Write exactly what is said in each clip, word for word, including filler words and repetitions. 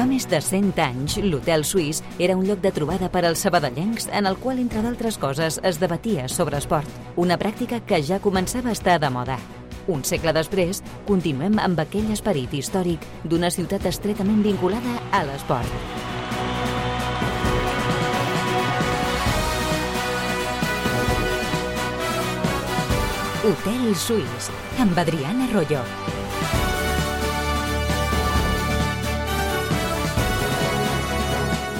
Fa més de cent anys, l'Hotel Suís era un lloc de trobada per als sabadellencs en el qual, entre d'altres coses, es debatia sobre esport, una pràctica que ja començava a estar de moda. Un segle després, continuem amb aquell esperit històric d'una ciutat estretament vinculada a l'esport. Hotel Suís, amb Adriana Arroyo.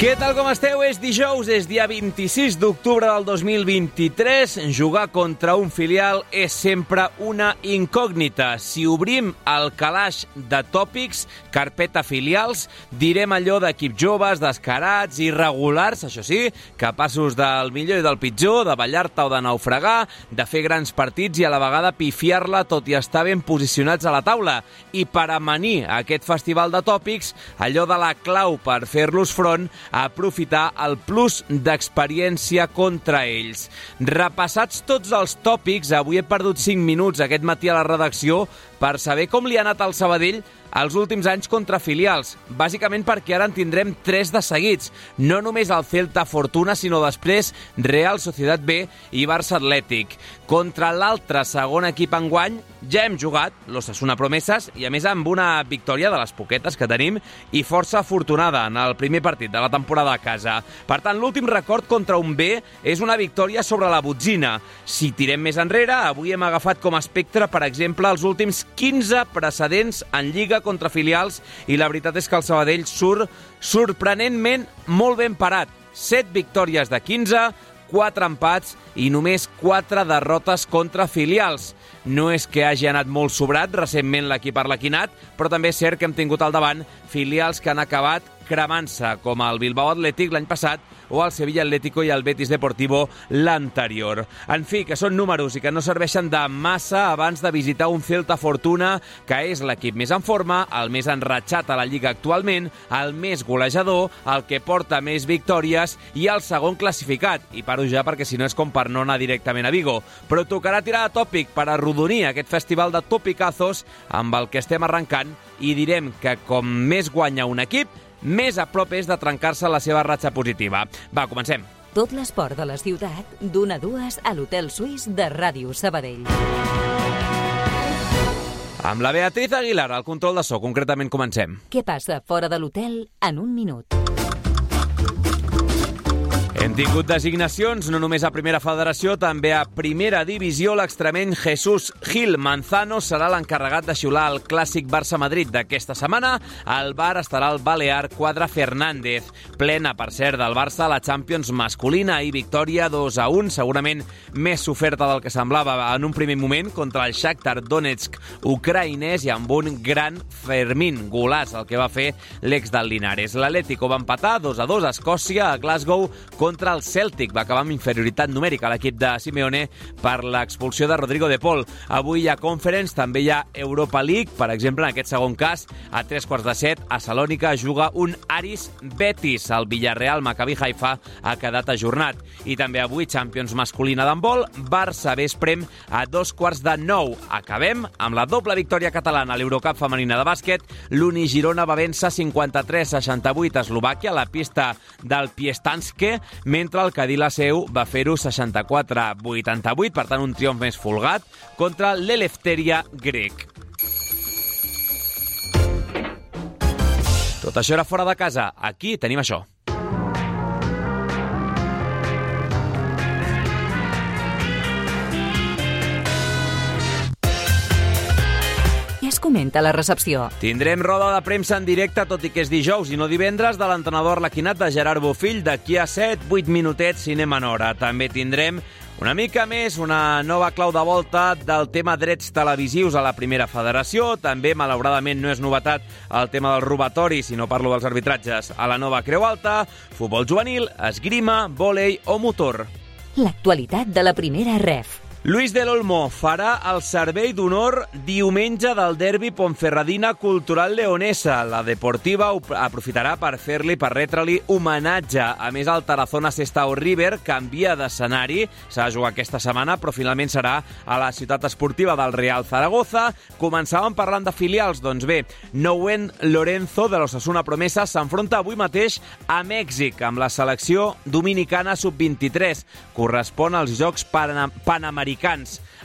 Què tal, com esteu? És dijous, és dia vint-i-sis d'octubre del dos mil vint-i-tres. Jugar contra un filial és sempre una incògnita. Si obrim el calaix de tòpics, carpeta filials, direm allò d'equips joves, descarats, irregulars, això sí, capaços del millor i del pitjor, de ballar-te o de naufragar, de fer grans partits i a la vegada pifiar-la tot i estar ben posicionats a la taula. I per amanir aquest festival de tòpics, allò de la clau per fer-los front, a aprofitar el plus d'experiència contra ells. Repassats tots els tòpics, avui he perdut cinc minuts aquest matí a la redacció per saber com li ha anat al Sabadell els últims anys contra filials, bàsicament perquè ara en tindrem tres de seguits. No només el Celta Fortuna, sinó després Real Sociedad B i Barça Atlètic. Contra l'altre segon equip enguany ja hem jugat, l'Osasuna Promeses, i a més amb una victòria de les poquetes que tenim i força afortunada en el primer partit de la temporada a casa. Per tant, l'últim record contra un B és una victòria sobre la botzina. Si tirem més enrere, avui hem agafat com a espectre, per exemple, els últims quinze precedents en Lliga contra filials i la veritat és que el Sabadell surt sorprenentment molt ben parat. set victòries de quinze, quatre empats i només quatre derrotes contra filials. No és que hagi anat molt sobrat recentment l'equip arlequinat, però també és cert que hem tingut al davant filials que han acabat cremant-se, com el Bilbao Atlètic l'any passat o el Sevilla Atlético i el Betis Deportivo l'anterior. En fi, que són números i que no serveixen de massa abans de visitar un Celta Fortuna, que és l'equip més en forma, el més enratxat a la Lliga actualment, el més golejador, el que porta més victòries i el segon classificat. I paro ja perquè si no és com per no anar directament a Vigo. Però tocarà tirar de tòpic per arrodonir aquest festival de topicazos amb el que estem arrencant i direm que com més guanya un equip, més a prop és de trencar-se la seva ratxa positiva. Va, comencem. Tot l'esport de la ciutat, d'una a dues a l'Hotel Suís de Ràdio Sabadell. Amb la Beatriz Aguilar, al control de so, concretament comencem. Què passa fora de l'hotel en un minut? Hem tingut designacions no només a Primera Federació, també a Primera Divisió. L'extremeny Jesús Gil Manzano serà l'encarregat de xiular el clàssic Barça-Madrid d'aquesta setmana. Al bar estarà el balear Quadra Fernández. Plena, per cert, del Barça a la Champions masculina i victòria dos a un, segurament més oferta del que semblava en un primer moment contra el Shakhtar Donetsk ucraïnès i amb un gran Fermín golaç, el que va fer l'ex del Linares. L'Atlético va empatar dos a dos a Escòcia, a Glasgow, contra el Celtic. Va acabar amb inferioritat numèrica a l'equip de Simeone per l'expulsió de Rodrigo de Paul. Avui hi ha Conference, també hi ha Europa League. Per exemple, en aquest segon cas, a tres quarts de set, a Salònica juga un Aris Betis. El Villarreal Maccabi Haifa ha quedat ajornat. I també avui Champions masculina d'handbol, Barça Vesprem a dos quarts de nou. Acabem amb la doble victòria catalana a l'Eurocup femenina de bàsquet. L'Uni Girona va vèncer cinquanta-tres a seixanta-vuit a Eslovàquia, a la pista del Piestanske, mentre el Cadí la Seu va fer-ho seixanta-quatre a vuitanta-vuit, per tant un triomf més folgat contra l'Eleftheria grec. Tot això era fora de casa. Aquí tenim això. Es comenta a la recepció. Tindrem roda de premsa en directe, tot i que és dijous i no divendres, de l'entrenador arlequinat de Gerard Bofill d'aquí a set vuit minutets si anem en hora. També tindrem una mica més, una nova clau de volta del tema drets televisius a la Primera Federació. També, malauradament, no és novetat el tema del robatori, si no parlo dels arbitratges a la nova Creu Alta, futbol juvenil, esgrima, vòlei o motor. L'actualitat de la Primera Ref. Luis del Olmo farà el servei d'honor diumenge del derbi Ponferradina Cultural Leonesa. La Deportiva aprofitarà per fer-li, per retre-li homenatge. A més, el Tarazona Sestao River canvia d'escenari. S'ha de jugar aquesta setmana, però finalment serà a la ciutat esportiva del Real Zaragoza. Començàvem parlant de filials. Doncs bé, Nouen Lorenzo, de l'Osasuna Promesa, s'enfronta avui mateix a Mèxic amb la selecció dominicana sub vint-i-tres. Correspon als Jocs Panamericans.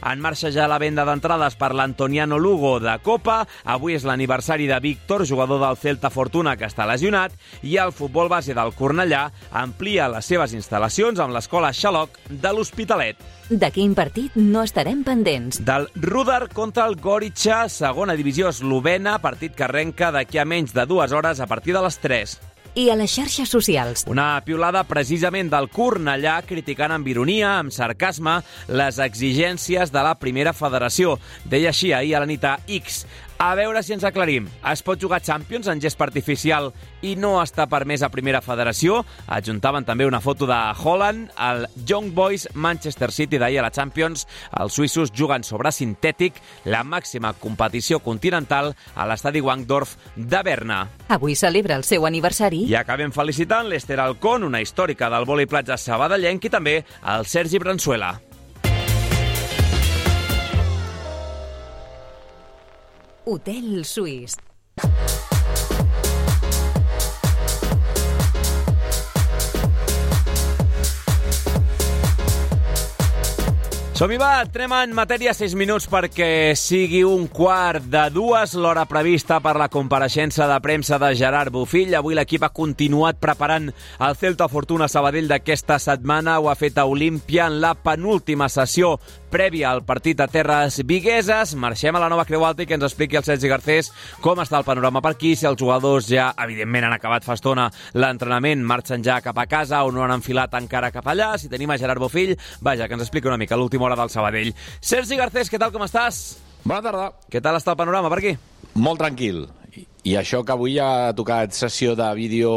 En marxa ja la venda d'entrades per l'Antoniano Lugo de Copa. Avui és l'aniversari de Víctor, jugador del Celta Fortuna, que està lesionat, i el futbol base del Cornellà amplia les seves instal·lacions amb l'escola Xaloc de l'Hospitalet. De quin partit no estarem pendents? Del Rudar contra el Gorica, segona divisió eslovena, partit que arrenca d'aquí a menys de dues hores a partir de les tres. I a les xarxes socials. Una piulada precisament del Cornellà criticant amb ironia, amb sarcasme, les exigències de la primera federació. Deia així ahir a la nit a X. A veure si ens aclarim. Es pot jugar Champions en gespa artificial i no està permès a primera federació? Adjuntaven també una foto de Haaland, el Young Boys Manchester City d'ahir a la Champions. Els suïssos juguen sobre sintètic, la màxima competició continental a l'estadi Wankdorf de Berna. Avui celebra el seu aniversari. I acabem felicitant l'Ester Alcón, una històrica del vòlei platja sabadellenc, i també el Sergi Bransuela. Hotel Suís. Som-hi, va, entrem en matèria, sis minuts perquè sigui un quart de dues, l'hora prevista per la compareixença de premsa de Gerard Bofill. Avui l'equip ha continuat preparant el Celta Fortuna Sabadell d'aquesta setmana. Ho ha fet a Olímpia en la penúltima sessió prèvia al partit a terres vigueses. Marxem a la Nova Creu Alta i que ens expliqui el Sergi Garcés com està el panorama per aquí, si els jugadors ja, evidentment, han acabat fa estona l'entrenament, marxen ja cap a casa o no han enfilat encara cap allà. Si tenim a Gerard Bofill, vaja, que ens expliqui una mica l'última hora del Sabadell. Sergi Garcés, què tal, com estàs? Bona tarda. Què tal està el panorama per aquí? Molt tranquil. I això que avui ha tocat sessió de vídeo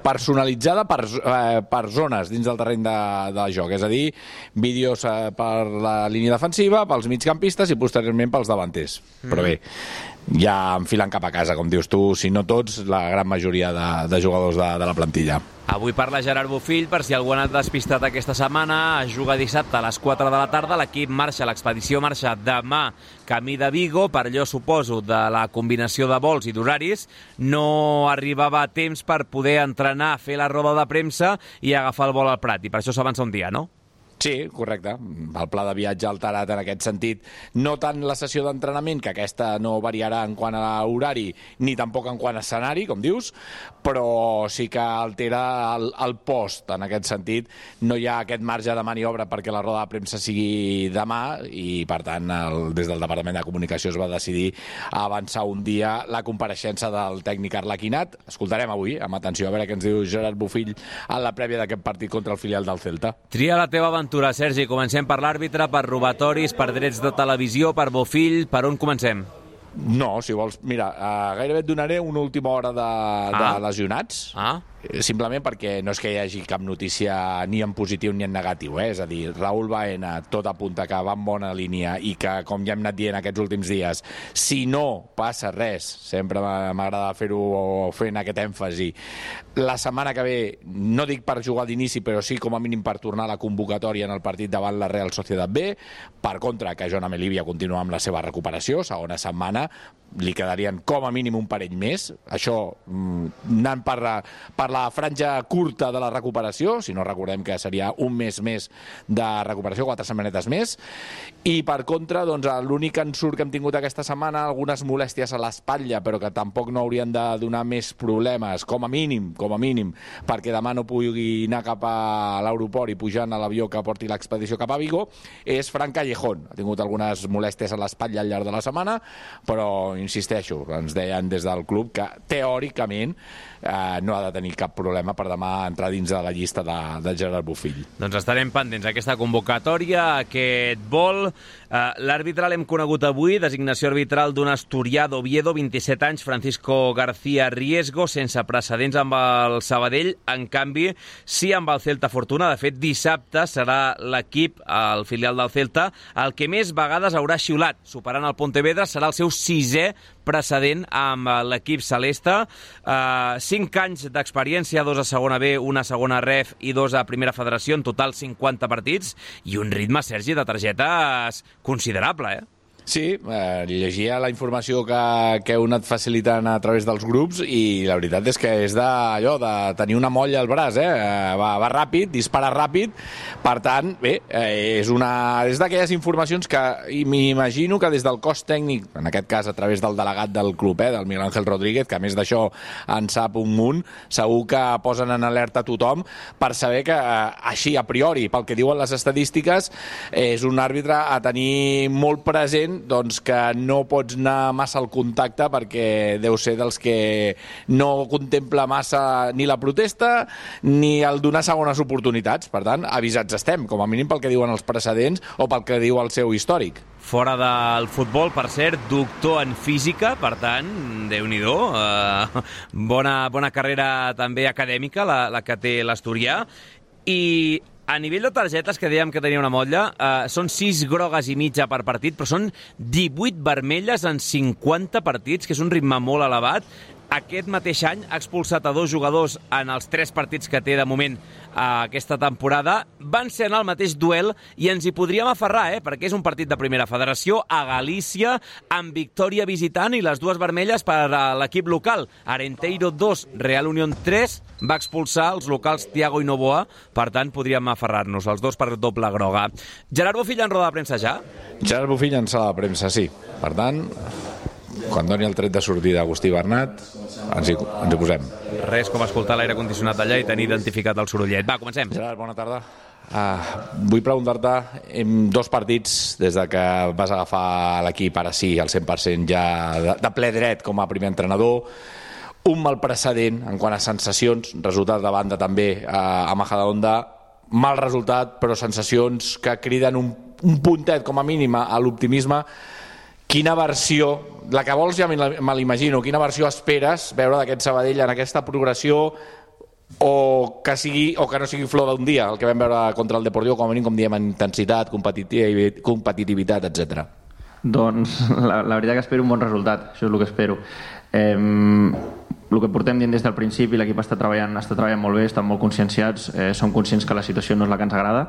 personalitzada per, eh, per zones dins del terreny de, de joc. És a dir, vídeos eh, per la línia defensiva, pels migcampistes i posteriorment pels davanters. Mm. Però bé, ja enfilant cap a casa, com dius tu, si no tots, la gran majoria de, de jugadors de, de la plantilla. Avui parla Gerard Bofill, per si algú ha anat despistat aquesta setmana. Es juga dissabte a les quatre de la tarda. L'equip marxa, l'expedició marxa demà camí de Vigo. Per allò, suposo, de la combinació de vols i d'horaris, no arribava a temps per poder entrenar, fer la roda de premsa i agafar el vol al Prat. I per això s'avança un dia, no? Sí, correcte. El pla de viatge alterat en aquest sentit. No tant la sessió d'entrenament, que aquesta no variarà en quant a horari, ni tampoc en quant a escenari, com dius, però sí que altera el, el post. En aquest sentit, no hi ha aquest marge de maniobra perquè la roda de premsa sigui demà i, per tant, el, des del Departament de Comunicació es va decidir avançar un dia la compareixença del tècnic Arlequinat. Escoltarem avui, amb atenció, a veure què ens diu Gerard Bofill en la prèvia d'aquest partit contra el filial del Celta. Tria la teva aventura, Sergi. Comencem per l'àrbitre, per robatoris, per drets de televisió, per Bofill. Per on comencem? No, si vols... Mira, uh, gairebé et donaré una última hora de, ah. de lesionats. Ah. Simplement perquè no és que hi hagi cap notícia ni en positiu ni en negatiu, eh? És a dir, Raúl Baena, tot apunta que va en bona línia i que, com ja hem anat dient aquests últims dies, si no passa res, sempre m'agrada fer-ho fent aquest èmfasi, la setmana que ve, no dic per jugar d'inici, però sí com a mínim per tornar a la convocatòria en el partit davant la Real Sociedad B. Per contra, que Joan Amelívia continua amb la seva recuperació, segona setmana, li quedarien com a mínim un parell més. Això, anant per, per la franja curta de la recuperació, si no recordem que seria un mes més de recuperació, quatre setmanetes més. I per contra, doncs, l'únic ensurt que hem tingut aquesta setmana, algunes molèsties a l'espatlla, però que tampoc no haurien de donar més problemes, com a mínim, com a mínim, perquè demà no pugui anar cap a l'aeroport i pujant a l'avió que porti l'expedició cap a Vigo, és Fran Callejón. Ha tingut algunes molèsties a l'espatlla al llarg de la setmana, però insisteixo, ens deien des del club que teòricament eh, no ha de tenir cap problema per demà entrar dins de la llista de, de Gerard Bofill. Doncs estarem pendents d'aquesta convocatòria, aquest vol. Uh, L'àrbitre l'hem conegut avui, designació arbitral d'un asturià d'Oviedo, vint-i-set anys, Francisco García Riesgo, sense precedents amb el Sabadell, en canvi, sí amb el Celta Fortuna. De fet, dissabte serà l'equip, el filial del Celta, el que més vegades haurà xiulat, superant el Pontevedra, serà el seu sisè precedent amb l'equip celeste. Uh, cinc anys d'experiència, dos a segona B, una a segona Ref i dos a primera federació, en total cinquanta partits, i un ritme, Sergi, de targetes considerable, eh? Sí, eh, llegia la informació que, que heu anat facilitant a través dels grups i la veritat és que és d'allò, de tenir una molla al braç, eh? Va, va ràpid, dispara ràpid, per tant, bé, eh, és una és d'aquelles informacions que m'imagino que des del cos tècnic, en aquest cas a través del delegat del club, eh, del Miguel Ángel Rodríguez, que a més d'això en sap un munt, segur que posen en alerta a tothom per saber que eh, així, a priori, pel que diuen les estadístiques, és un àrbitre a tenir molt present, doncs que no pots anar massa al contacte perquè deu ser dels que no contempla massa ni la protesta ni el donar segones oportunitats. Per tant, avisats estem, com a mínim pel que diuen els precedents o pel que diu el seu històric. Fora del futbol, per cert, doctor en física, per tant, Déu-n'hi-do, eh, bona, bona carrera també acadèmica la, la que té l'asturià. I a nivell de targetes, que dèiem que tenia una motlla, eh, són sis grogues i mitja per partit, però són divuit vermelles en cinquanta partits, que és un ritme molt elevat. Aquest mateix any ha expulsat a dos jugadors en els tres partits que té de moment eh, aquesta temporada. Van ser en el mateix duel i ens hi podríem aferrar, eh, perquè és un partit de primera federació a Galícia, amb victòria visitant i les dues vermelles per a l'equip local. Arenteiro dos, Real Unión tres, va expulsar els locals Thiago i Novoa, per tant podríem aferrar-nos, els dos per doble groga. Gerard Bofill en roda de premsa ja? Gerard Bofill en sala de premsa, sí. Per tant, quan doni el tret de sortida Agustí Bernat, ens hi, ens hi posem. Res com escoltar l'aire condicionat allà i tenir identificat el sorollet. Va, comencem. Gerard, bona tarda. Uh, vull preguntar-te, en dos partits des de que vas agafar l'equip, ara sí, al cent per cent ja de, de ple dret com a primer entrenador, un mal precedent en quant a sensacions, resultat de banda també uh, a Majadahonda, mal resultat, però sensacions que criden un, un puntet com a mínim a l'optimisme. Quina versió, la que vols ja me l'imagino, quina versió esperes veure d'aquest Sabadell en aquesta progressió o que, sigui, o que no sigui flor d'un dia, el que vam veure contra el Deportivo, com a mínim, com diem, en intensitat, competitivitat, competitivitat, etcètera? Doncs la, la veritat que espero un bon resultat, això és el que espero. Eh, el que portem dient des del principi, l'equip està treballant, està treballant molt bé, estan molt conscienciats, eh, som conscients que la situació no és la que ens agrada,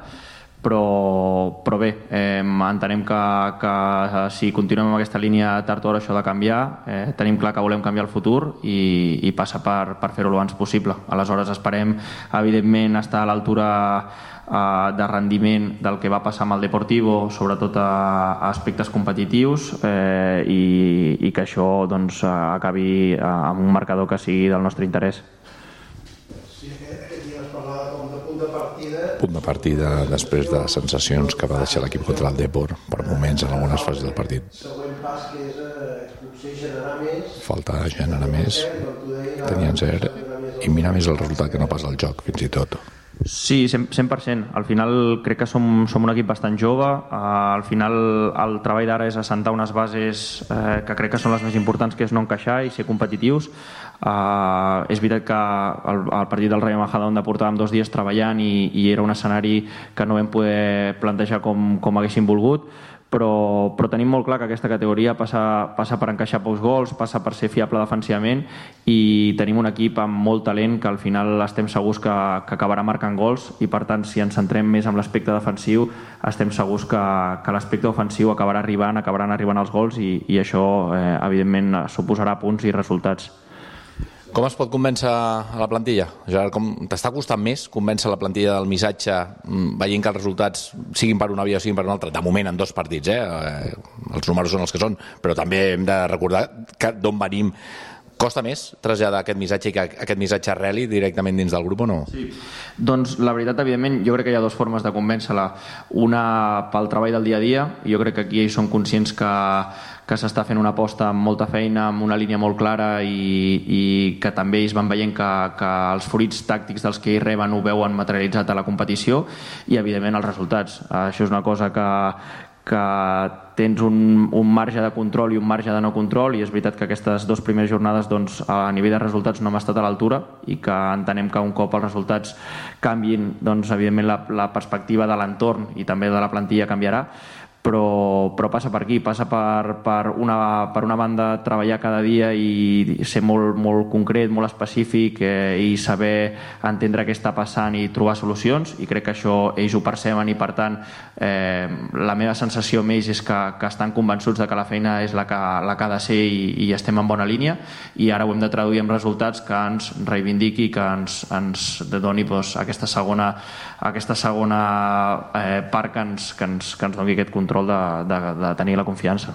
però, però bé, eh, entenem que, que si continuem amb aquesta línia tard o d'hora això ha de canviar, eh, tenim clar que volem canviar el futur i, i passa per, per fer-ho el abans possible. Aleshores esperem, evidentment, estar a l'altura eh, de rendiment del que va passar amb el Deportivo, sobretot a, a aspectes competitius, eh, i, i que això doncs, acabi amb un marcador que sigui del nostre interès. Punt de partida després de les sensacions que va deixar l'equip contra el Depor per moments en algunes fases del partit. Següent pas, que és potser generar més. Falta generar més, tenien cert, i mirar més el resultat que no pas el joc, fins i tot. Sí, cent per cent. Al final crec que som, som un equip bastant jove. Uh, al final el treball d'ara és assentar unes bases uh, que crec que són les més importants, que és no encaixar i ser competitius. Uh, és veritat que el, el partit del Rayo Majadahonda portàvem dos dies treballant i, i era un escenari que no vam poder plantejar com, com haguéssim volgut, però, però tenim molt clar que aquesta categoria passa, passa per encaixar pocs gols, passa per ser fiable defensivament, i tenim un equip amb molt talent que al final estem segurs que, que acabarà marcant gols, i per tant si ens centrem més en l'aspecte defensiu estem segurs que, que l'aspecte ofensiu acabarà arribant, acabaran arribant els gols, i, i això eh, evidentment suposarà punts i resultats. Com es pot convèncer a la plantilla? Gerard, com t'està costant més convèncer la plantilla del missatge veient que els resultats siguin per una via o siguin per una altra? De moment en dos partits, eh? Els números són els que són, però també hem de recordar d'on venim Costa més traslladar aquest missatge i que aquest missatge arreli directament dins del grup o no? Sí. Doncs la veritat, evidentment, jo crec que hi ha dues formes de convèncer-la. Una pel treball del dia a dia, i jo crec que aquí ells són conscients que, que s'està fent una aposta amb molta feina, amb una línia molt clara i, i que també ells van veient que, que els fruits tàctics dels que ells reben ho veuen materialitzat a la competició i, evidentment, els resultats. Això és una cosa que, que tens un, un marge de control i un marge de no control, i és veritat que aquestes dues primeres jornades doncs, a nivell de resultats no hem estat a l'altura i que entenem que un cop els resultats canviïn, doncs, evidentment la, la perspectiva de l'entorn i també de la plantilla canviarà, però, però passa per aquí, passa per, per, una, per una banda treballar cada dia i ser molt, molt concret, molt específic eh, i saber entendre què està passant i trobar solucions, i crec que això ells ho perceben i per tant eh, la meva sensació amb ells és que, que estan convençuts de que la feina és la que, la que ha de ser i, i estem en bona línia, i ara ho hem de traduir en resultats que ens reivindiqui, que ens, ens doni doncs, aquesta segona, aquesta segona eh, part que ens, que, ens, que ens doni aquest control De, de, de tenir la confiança.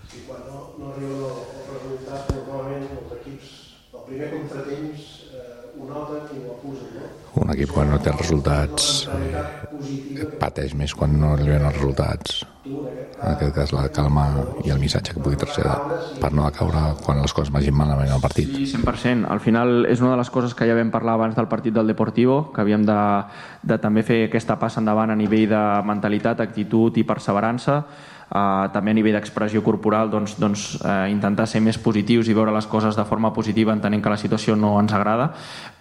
Sí, quan no, no arriba el resultat, normalment els equips, el primer contratemps eh, ho noten i ho acusen, no? Un equip quan no té resultats eh, pateix més quan no arriben els resultats. En aquest cas la calma i el missatge que pugui traslladar per no caure quan les coses vagin malament al partit. Sí, cent per cent. Al final és una de les coses que ja vam parlar abans del partit del Deportivo, que havíem de, de també fer aquesta passa endavant a nivell de mentalitat, actitud i perseverança. Uh, també a nivell d'expressió corporal doncs, doncs, uh, intentar ser més positius i veure les coses de forma positiva, entenent que la situació no ens agrada,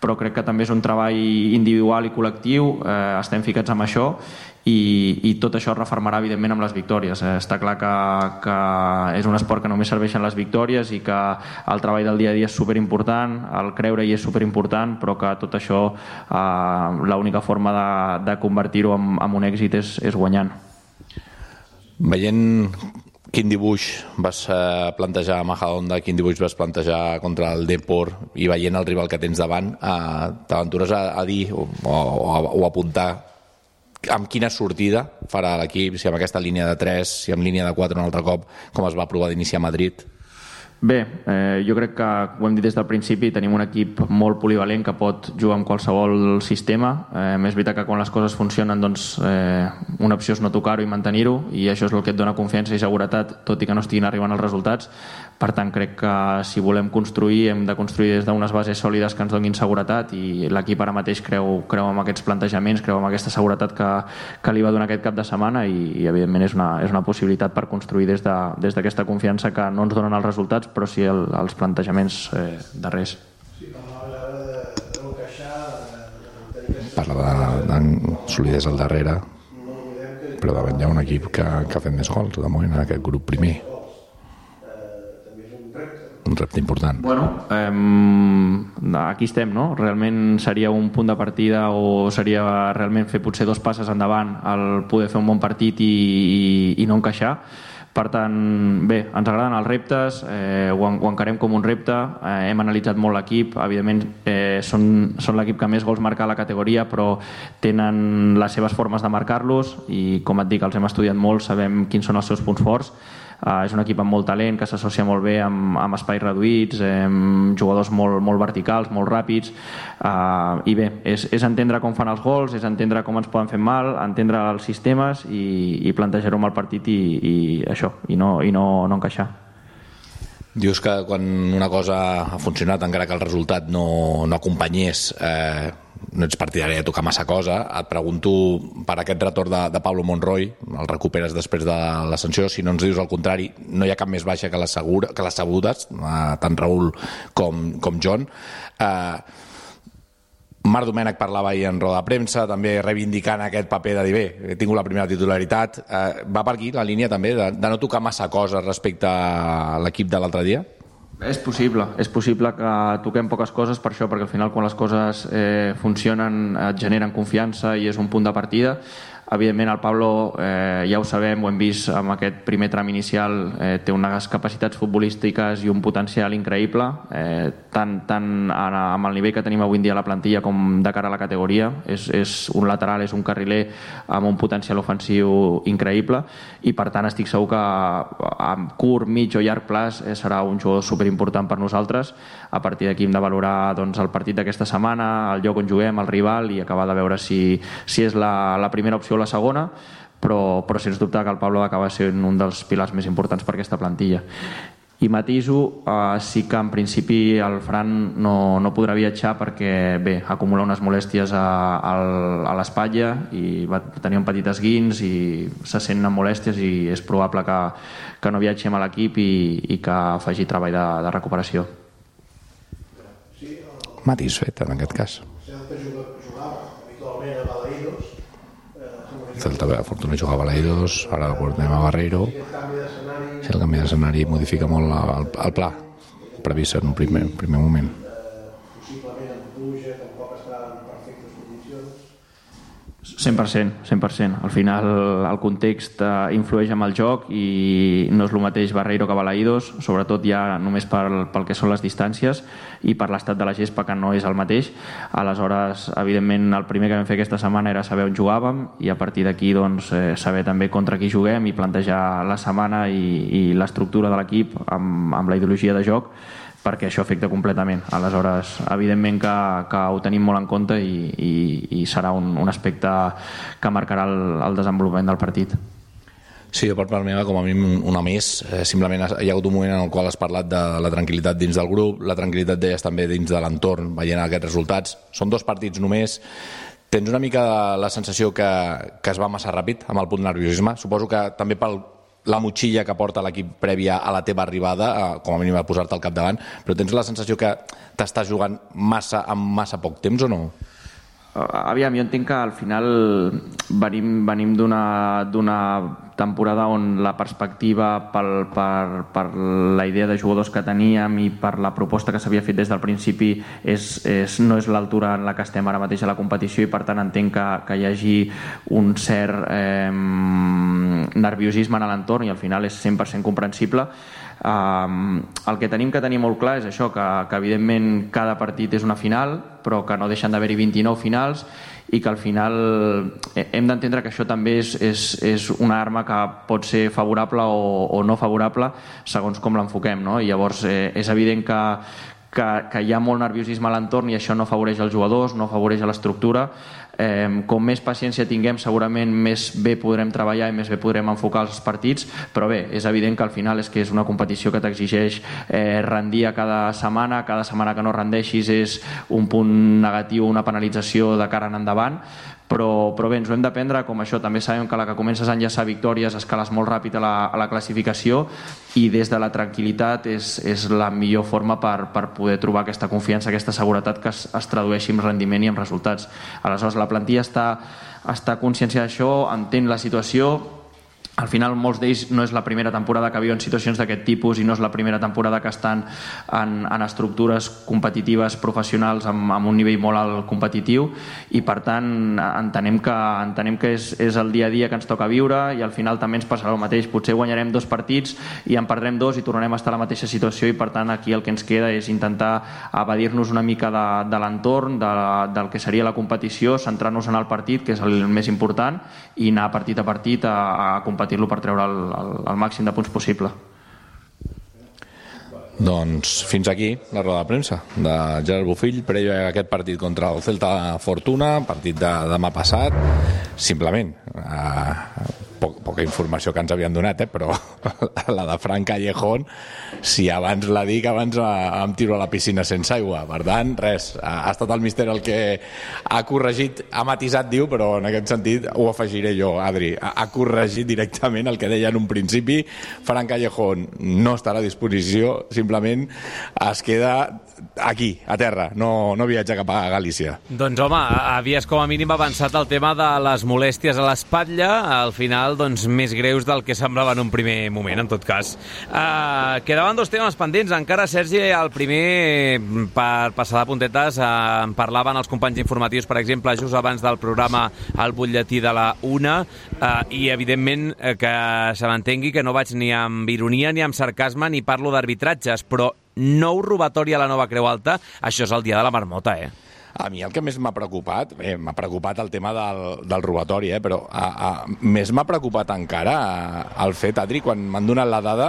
però crec que també és un treball individual i col·lectiu, uh, estem ficats amb això i, i tot això es refermarà evidentment amb les victòries. Uh, està clar que, que és un esport que només serveixen les victòries i que el treball del dia a dia és superimportant, el creure-hi és superimportant, però que tot això uh, l'única forma de, de convertir-ho en, en un èxit és, és guanyant. Veient quin dibuix vas plantejar a Majadahonda, quin dibuix vas plantejar contra el Depor i veient el rival que tens davant, eh, t'aventures a, a dir o, o, o apuntar amb quina sortida farà l'equip, si amb aquesta línia de tres, si amb línia de quatre un altre cop, com es va provar d'iniciar a Madrid? Bé, eh, jo crec que ho hem dit des del principi, tenim un equip molt polivalent que pot jugar amb qualsevol sistema. Eh, és veritat que quan les coses funcionen, doncs, eh, una opció és no tocar-ho i mantenir-ho, i això és el que et dona confiança i seguretat, tot i que no estiguin arribant els resultats. Per tant, crec que si volem construir, hem de construir des d'unes bases sòlides que ens donin seguretat, i l'equip ara mateix creu, creu en aquests plantejaments, creu en aquesta seguretat que, que li va donar aquest cap de setmana, i, i evidentment és una, és una possibilitat per construir des de, des d'aquesta confiança que no ens donen els resultats, però sí el, els plantejaments eh, darrers. Sí, parlava de no queixar, de... Parla de, de solidesa al darrere, però davant hi ha un equip que, que ha fet més gols de moment en aquest grup primer. Un repte important. Bueno, eh, aquí estem, no? Realment seria un punt de partida, o seria realment fer potser dos passes endavant al poder fer un bon partit i, i, i no encaixar. Per tant, bé, ens agraden els reptes, eh, ho, ho encarem com un repte, eh, hem analitzat molt l'equip, evidentment eh, són, són l'equip que més gols marca a la categoria, però tenen les seves formes de marcar-los i, com et dic, els hem estudiat molt, sabem quins són els seus punts forts. Uh, és un equip amb molt talent, que s'associa molt bé amb, amb espais reduïts, amb jugadors molt, molt verticals, molt ràpids, uh, i bé, és, és entendre com fan els gols, és entendre com ens poden fer mal, entendre els sistemes i, i plantejar-ho amb el partit i, i això, i no, i no, no encaixar. Dius que quan una cosa ha funcionat, encara que el resultat no, no acompanyés, eh, no ets partidari de tocar massa cosa. Et pregunto per aquest retorn de, de Pablo Monroy, el recuperes després de la sanció, si no ens dius el contrari, no hi ha cap més baixa que les, segura, que les sabudes, eh, tant Raül com, com John. Eh, Marc Domènech parlava ahir en roda de premsa, també reivindicant aquest paper de dir, bé, he tingut la primera titularitat. Eh, va per aquí la línia també de, de no tocar massa coses respecte a l'equip de l'altre dia? És possible, és possible que toquem poques coses per això, perquè al final quan les coses eh, funcionen et generen confiança i és un punt de partida. Evidentment el Pablo, eh, ja ho sabem, ho hem vist amb aquest primer tram inicial, eh, té unes capacitats futbolístiques i un potencial increïble, eh, tant, tant amb el nivell que tenim avui en dia a la plantilla com de cara a la categoria. És, és un lateral, és un carriler amb un potencial ofensiu increïble i per tant estic segur que a curt, mig o llarg plaç eh, serà un jugador superimportant per nosaltres. A partir d'aquí hem de valorar doncs, el partit d'aquesta setmana, el lloc on juguem, el rival i acabar de veure si, si és la, la primera opció o la segona, però, però sens dubte que el Pablo acaba sent un dels pilars més importants per aquesta plantilla. I matiso, eh, sí que en principi el Fran no, no podrà viatjar perquè bé, acumula unes molèsties a, a, a l'espatlla i va tenir un petit esguins i se sent amb molèsties i és probable que, que no viatgem a l'equip i, i que faci treball de, de recuperació. Matís fet en aquest cas. Celta jugava habitualment a Balaïdos. Celta, Fortuna jugava a Balaïdos, ara portem a Barreiro. Si el canvi d'escenari modifica molt el, el pla previst en un primer, primer moment. Possiblement amb pluja, tampoc està en perfectes condicions. cent per cent, cent per cent. Al final el context influeix amb el joc i no és el mateix Barreiro que Balaïdos, sobretot ja només pel, pel que són les distàncies i per l'estat de la gespa, que no és el mateix. Aleshores, evidentment, el primer que vam fer aquesta setmana era saber on jugàvem i a partir d'aquí doncs, eh, saber també contra qui juguem i plantejar la setmana i, i l'estructura de l'equip amb, amb la ideologia de joc, perquè això afecta completament. Aleshores, evidentment que, que ho tenim molt en compte i, i, i serà un, un aspecte que marcarà el, el desenvolupament del partit. Sí, per part meva, com a mínim una més. Eh, simplement hi ha hagut un moment en el qual has parlat de la tranquil·litat dins del grup, la tranquil·litat deies també dins de l'entorn, veient aquests resultats. Són dos partits només. Tens una mica la sensació que, que es va massa ràpid amb el punt de nerviosisme? Suposo que també pel la motxilla que porta l'equip prèvia a la teva arribada, com a mínim a posar-te al capdavant, però tens la sensació que t'estàs jugant massa en massa poc temps o no? Aviam, jo entenc que al final venim, venim d'una d'una temporada on la perspectiva pel, per, per la idea de jugadors que teníem i per la proposta que s'havia fet des del principi és, és, no és l'altura en la que estem ara mateix a la competició i per tant entenc que, que hi hagi un cert eh, nerviosisme en l'entorn i al final és cent per cent comprensible. Um, el que tenim que tenir molt clar és això, que, que evidentment cada partit és una final, però que no deixen d'haver-hi vint-i-nou finals i que al final hem d'entendre que això també és, és, és una arma que pot ser favorable o, o no favorable segons com l'enfoquem, no? I llavors eh, és evident que, que, que hi ha molt nerviosisme a l'entorn i això no afavoreix els jugadors, no afavoreix l'estructura. Eh, com més paciència tinguem segurament més bé podrem treballar i més bé podrem enfocar els partits, però bé, és evident que al final és que és una competició que t'exigeix eh, rendir a cada setmana, cada setmana que no rendeixis és un punt negatiu, una penalització de cara en endavant, però, però bé, ens ho hem d'aprendre, com això també sabem que la que comences a enllaçar victòries escales molt ràpid a la, a la classificació i des de la tranquil·litat és, és la millor forma per, per poder trobar aquesta confiança, aquesta seguretat que es, es tradueixi en rendiment i en resultats. Aleshores la plantilla està, està conscienciada d'això, entén la situació. Al final molts d'ells no és la primera temporada que viuen situacions d'aquest tipus i no és la primera temporada que estan en, en estructures competitives professionals amb, amb un nivell molt alt competitiu i per tant entenem que, entenem que és, és el dia a dia que ens toca viure i al final també ens passarà el mateix, potser guanyarem dos partits i en perdrem dos i tornarem a estar a la mateixa situació i per tant aquí el que ens queda és intentar evadir-nos una mica de, de l'entorn, de, del que seria la competició, centrar-nos en el partit que és el més important i anar partit a partit a, a competir lo per treure el, el, el màxim de punts possible. Doncs fins aquí la roda de premsa de Gerard Bofill previ a aquest partit contra el Celta Fortuna, partit de demà passat. Simplement eh, poc, poca informació que ens havien donat, eh, però la de Fran Callejón, si abans la dic, abans em tiro a la piscina sense aigua. Per tant, res, ha estat el míster el que ha corregit, ha matisat, diu, però en aquest sentit ho afegiré jo, Adri. Ha corregit directament el que deia en un principi. Fran Callejón no estarà a disposició, simplement es queda aquí, a terra, no, no viatja cap a Galícia. Doncs home, havies com a mínim avançat el tema de les molèsties a l'espatlla. Al final final doncs, més greus del que semblava en un primer moment, en tot cas. Uh, quedaven dos temes pendents. Encara, Sergi, el primer, per passar de puntetes, uh, en parlaven els companys informatius, per exemple, just abans del programa al butlletí de la una, uh, i evidentment uh, que se m'entengui que no vaig ni amb ironia ni amb sarcasme ni parlo d'arbitratges, però nou robatori a la Nova Creu Alta, això és el dia de la marmota, eh? A mi el que més m'ha preocupat, bé, m'ha preocupat el tema del, del robatori, eh, però a, a, més m'ha preocupat encara a, el fet, Adri, quan m'han donat la dada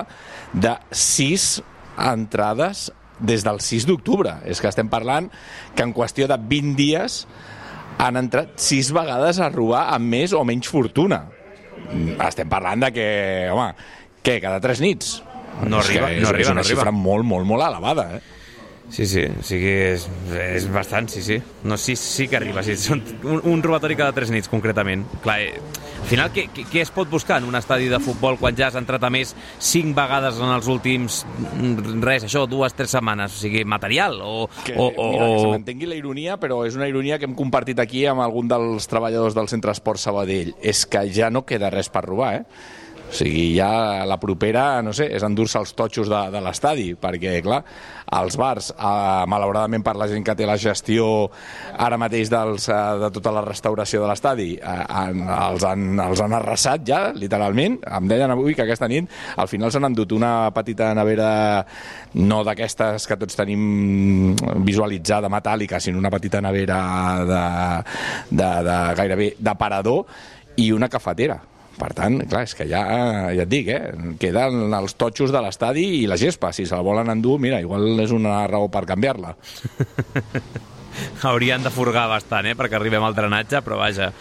de sis entrades des del sis d'octubre. És que estem parlant que en qüestió de vint dies han entrat sis vegades a robar amb més o menys fortuna. Estem parlant de que, home, què, cada tres nits? No arriba, és, no arriba, és una no arriba. xifra molt, molt, molt elevada, eh? Sí, sí, o sigui, és, és bastant, sí, sí. No, sí, sí que arriba, sí. Són un, un robatori cada tres nits, concretament. Clar, eh, al final, què, què es pot buscar en un estadi de futbol quan ja has entrat a més cinc vegades en els últims, res, això, dues, tres setmanes? O sigui, material o... Que, o, o mira, que se m'entengui la ironia, però és una ironia que hem compartit aquí amb algun dels treballadors del Centre Esport Sabadell. És que ja no queda res per robar, eh? O sigui, ja la propera, no sé, és endur-se els totxos de, de l'estadi, perquè, clar, els bars, eh, malauradament per la gent que té la gestió ara mateix dels, eh, de tota la restauració de l'estadi, eh, han, els, han, els han arrasat ja, literalment. Em deien avui que aquesta nit al final s'han endut una petita nevera, no d'aquestes que tots tenim visualitzada, metàl·lica, sinó una petita nevera de, de, de gairebé d'aparador i una cafetera. Per tant, clar, és que ja, ja et dic, eh? Queden els totxos de l'estadi i la gespa. Si se la volen endur, mira, igual és una raó per canviar-la. Haurien de furgar bastant, eh?, perquè arribem al drenatge, però vaja,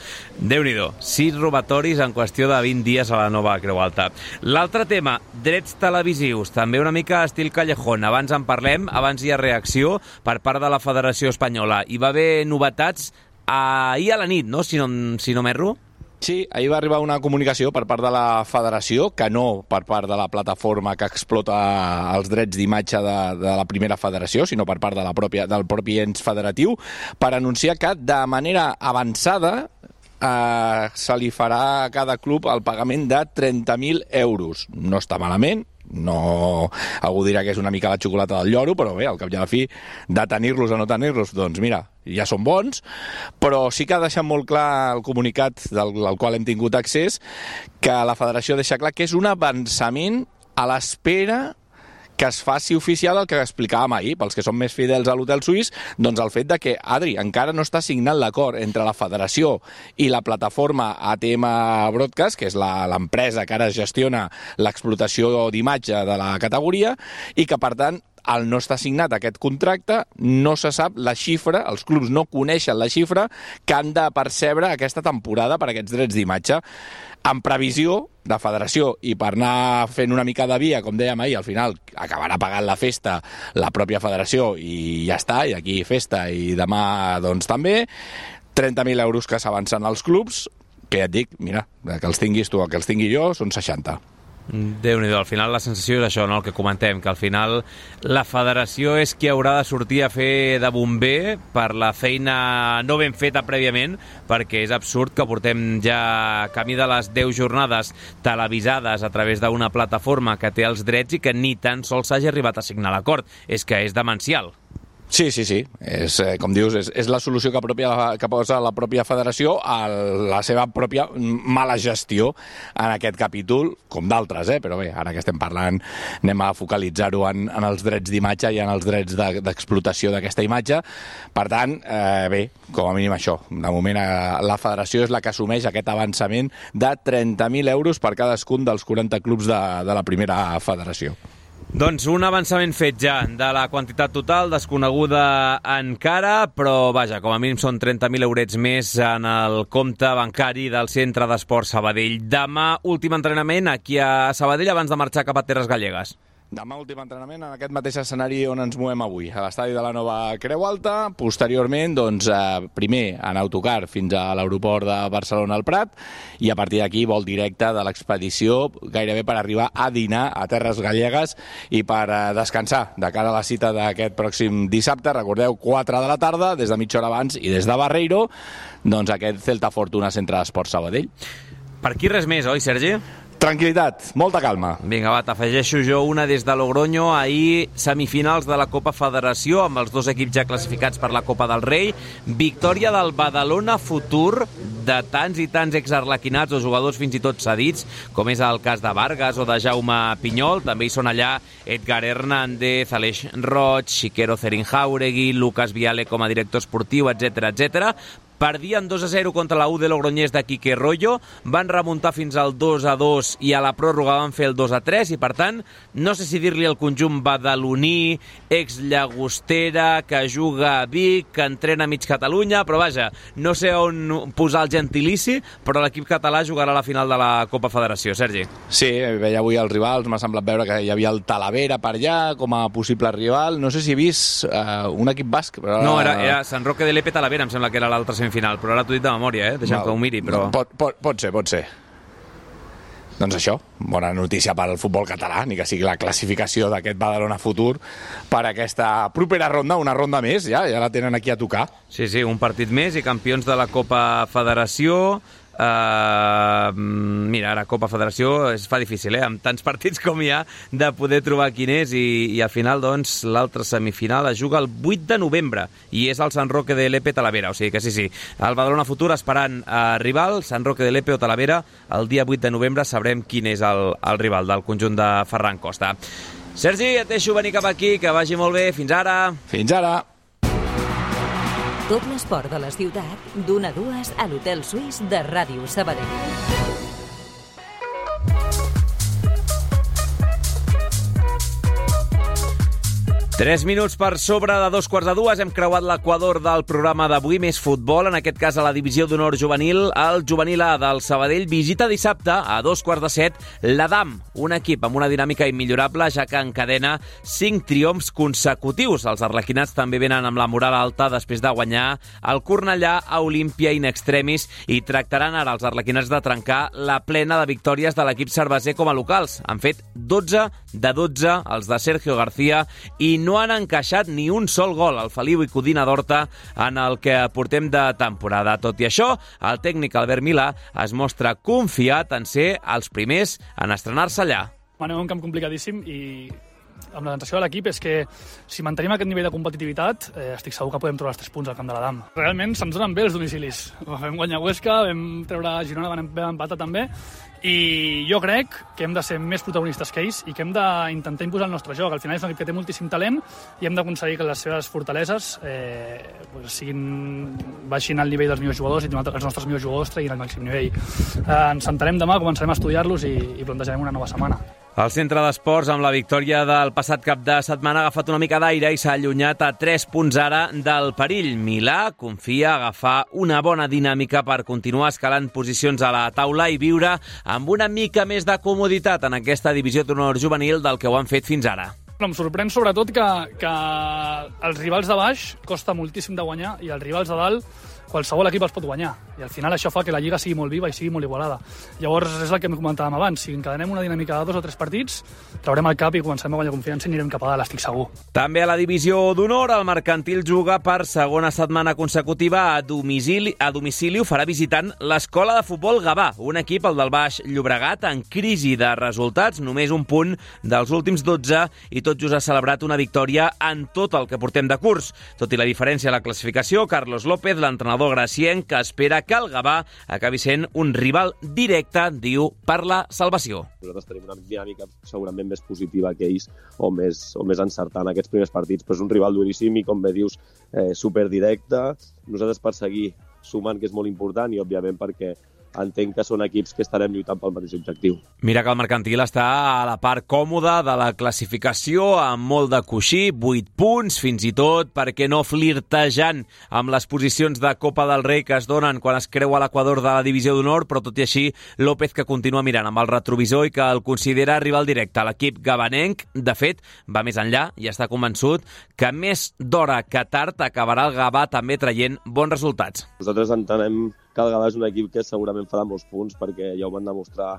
Déu-n'hi-do, sis robatoris en qüestió de vint dies a la Nova Creu Alta. L'altre tema, drets televisius, també una mica estil Callejón. Abans en parlem, abans hi ha reacció per part de la Federació Espanyola. Hi va haver novetats ahir a la nit, no?, si no, si no m'erro? Sí, ahir va arribar una comunicació per part de la Federació, que no per part de la plataforma que explota els drets d'imatge de, de la primera federació, sinó per part de la pròpia, del propi ens federatiu, per anunciar que de manera avançada eh, se li farà a cada club el pagament de trenta mil euros. No està malament, no, algú dirà que és una mica la xocolata del lloro, però bé, al cap i a la fi, de tenir-los o no tenir-los, doncs mira, ja són bons, però sí que ha deixat molt clar el comunicat del, del qual hem tingut accés, que la federació deixa clar que és un avançament a l'espera que es faci oficial el que explicàvem ahir, pels que són més fidels a l'Hotel Suís, doncs el fet de que, Adri, encara no està signat l'acord entre la federació i la plataforma A T M Broadcast, que és l'empresa que ara gestiona l'explotació d'imatge de la categoria, i que, per tant, al no estar signat aquest contracte, no se sap la xifra, els clubs no coneixen la xifra que han de percebre aquesta temporada per aquests drets d'imatge. En previsió de federació i per anar fent una mica de via, com dèiem ahir, al final acabarà pagant la festa la pròpia federació i ja està, i aquí festa i demà doncs també, trenta mil euros que s'avancen als clubs, que ja et dic, mira, que els tinguis tu o que els tingui jo, són seixanta. Déu-n'hi-do, al final la sensació és això, no?, el que comentem, que al final la federació és qui haurà de sortir a fer de bomber per la feina no ben feta prèviament, perquè és absurd que portem ja camí de les deu jornades televisades a través d'una plataforma que té els drets i que ni tan sols s'hagi arribat a signar l'acord. És que és demencial. Sí, sí, sí. És, eh, com dius, és, és la solució que, pròpia, que posa la pròpia federació a la seva pròpia mala gestió en aquest capítol, com d'altres, eh? Però bé, ara que estem parlant anem a focalitzar-ho en, en els drets d'imatge i en els drets d'explotació de, d'aquesta imatge. Per tant, eh, bé, com a mínim això. De moment, eh, la federació és la que assumeix aquest avançament de trenta mil euros per cadascun dels quaranta clubs de, de la primera federació. Doncs un avançament fet ja de la quantitat total, desconeguda encara, però vaja, com a mínim són trenta mil eurets més en el compte bancari del Centre d'Esport Sabadell. Demà, últim entrenament aquí a Sabadell abans de marxar cap a Terres Gallegues. Demà últim entrenament en aquest mateix escenari on ens movem avui, a l'estadi de la Nova Creu Alta. Posteriorment, doncs, eh, primer en autocar fins a l'aeroport de Barcelona al Prat i a partir d'aquí vol directe de l'expedició gairebé per arribar a dinar a Terres Gallegues i per eh, descansar de cara a la cita d'aquest pròxim dissabte. Recordeu, quatre de la tarda, des de mitja hora abans i des de Barreiro, doncs aquest Celta Fortuna Centre d'Esport Sabadell. Per aquí res més, oi, Sergi? Tranquilitat, molta calma. Vinga, va, t'afegeixo jo una des de Logroño. Ahir, semifinals de la Copa Federació, amb els dos equips ja classificats per la Copa del Rei. Victòria del Badalona Futur, de tants i tants exarlequinats o jugadors fins i tot cedits, com és el cas de Vargas o de Jaume Pinyol. També hi són allà Edgar Hernández, Aleix Roig, Xiquero Cerin-Jauregui, Lucas Viale com a director esportiu, etcètera, etcètera. Perdien dos a zero contra la U de Logroñés de Quique Rollo, van remuntar fins al dos a dos i a la pròrroga van fer el dos a tres i, per tant, no sé si dir-li el conjunt badaloní, ex-llagostera, que juga a Vic, que entrena a mig Catalunya, però vaja, no sé on posar el gentilici, però l'equip català jugarà a la final de la Copa Federació. Sergi. Sí, veia avui els rivals, m'ha semblat veure que hi havia el Talavera per allà com a possible rival. No sé si he vist uh, un equip basc. Però... No, era, era Sant Roque de Lepe Talavera, em sembla que era l'altra semifinal, però ara t'ho he dit de memòria, eh? Deixa'm no, que ho miri, però... Pot, pot, pot ser, pot ser. Doncs això, bona notícia per al futbol català, ni que sigui la classificació d'aquest Badalona Futur per aquesta propera ronda, una ronda més, ja, ja la tenen aquí a tocar. Sí, sí, un partit més i campions de la Copa Federació. Uh, mira, ara Copa Federació es fa difícil, eh? Amb tants partits com hi ha, de poder trobar quin és, i, i al final, doncs, l'altra semifinal es juga el vuit de novembre i és el Sant Roque de Lepe Talavera, o sigui que sí, sí, el Badalona Futur esperant a rival, Sant Roque de Lepe o Talavera. El dia vuit de novembre sabrem quin és el, el rival del conjunt de Ferran Costa. Sergi, et deixo venir cap aquí, que vagi molt bé, fins ara. Fins ara. Tot l'esport de la ciutat, d'una a dues a l'Hotel Suís de Ràdio Sabadell. Tres minuts per sobre de dos quarts de dues. Hem creuat l'equador del programa d'avui, més futbol, en aquest cas a la divisió d'honor juvenil. El juvenil A del Sabadell visita dissabte a dos quarts de set l'Adam, un equip amb una dinàmica immillorable, ja que encadena cinc triomfs consecutius. Els arlequinats també venen amb la moral alta després de guanyar el Cornellà a Olímpia in extremis i tractaran ara els arlequinats de trencar la plena de victòries de l'equip cerveser com a locals. Han fet dotze de dotze els de Sergio García i no han encaixat ni un sol gol al Feliu i Codina d'Horta en el que portem de temporada. Tot i això, el tècnic Albert Milà es mostra confiat en ser els primers en estrenar-se allà. Anem a un camp complicadíssim i amb la sensació de l'equip és que si mantenim aquest nivell de competitivitat eh, estic segur que podem trobar els tres punts al camp de l'Adam. Realment se'ns donen bé els domicilis. Vam guanyar Huesca, vam treure Girona, vam empatar també, i jo crec que hem de ser més protagonistes que ells i que hem d'intentar imposar el nostre joc. Al final és un equip que té moltíssim talent i hem d'aconseguir que les seves fortaleses eh, pues siguin, baixin al nivell dels millors jugadors i els nostres millors jugadors treguin al màxim nivell. Eh, ens sentarem demà, començarem a estudiar-los i, i plantejarem una nova setmana. El centre d'esports, amb la victòria del passat cap de setmana, ha agafat una mica d'aire i s'ha allunyat a tres punts ara del perill. Milà confia agafar una bona dinàmica per continuar escalant posicions a la taula i viure amb una mica més de comoditat en aquesta divisió d'honor juvenil del que ho han fet fins ara. Em sorprèn sobretot que, que els rivals de baix costa moltíssim de guanyar i els rivals de dalt qualsevol equip els pot guanyar. I al final això fa que la Lliga sigui molt viva i sigui molt igualada. Llavors és el que comentàvem abans. Si encadenem una dinàmica de dos o tres partits, traurem el cap i començarem a guanyar confiança i anirem cap a dalt, estic segur. També a la divisió d'honor, el Mercantil juga per segona setmana consecutiva a domicili, a domicili ho farà visitant l'Escola de Futbol Gavà, un equip, el del Baix Llobregat, en crisi de resultats, només un punt dels últims dotze i tot just ha celebrat una victòria en tot el que portem de curs. Tot i la diferència a la classificació, Carlos López, l'entrenador gracienc, que espera que el Gavà acabi sent un rival directe, diu, per la salvació. Nosaltres tenim una dinàmica segurament més positiva que ells o més, o més encertant aquests primers partits, però és un rival duríssim i, com bé dius, eh, superdirecte. Nosaltres per seguir sumant, que és molt important, i òbviament perquè entenc que són equips que estarem lluitant pel mateix objectiu. Mira que el Mercantil està a la part còmoda de la classificació, amb molt de coixí, vuit punts, fins i tot, perquè no flirtejant amb les posicions de Copa del Rei que es donen quan es creua l'equador de la divisió d'honor, però tot i així, López que continua mirant amb el retrovisor i que el considera rival directe. L'equip gavanenc, de fet, va més enllà i està convençut que més d'hora que tard acabarà el Gavà també traient bons resultats. Nosaltres entenem que el Gavà és un equip que segurament farà molts punts perquè ja ho van demostrar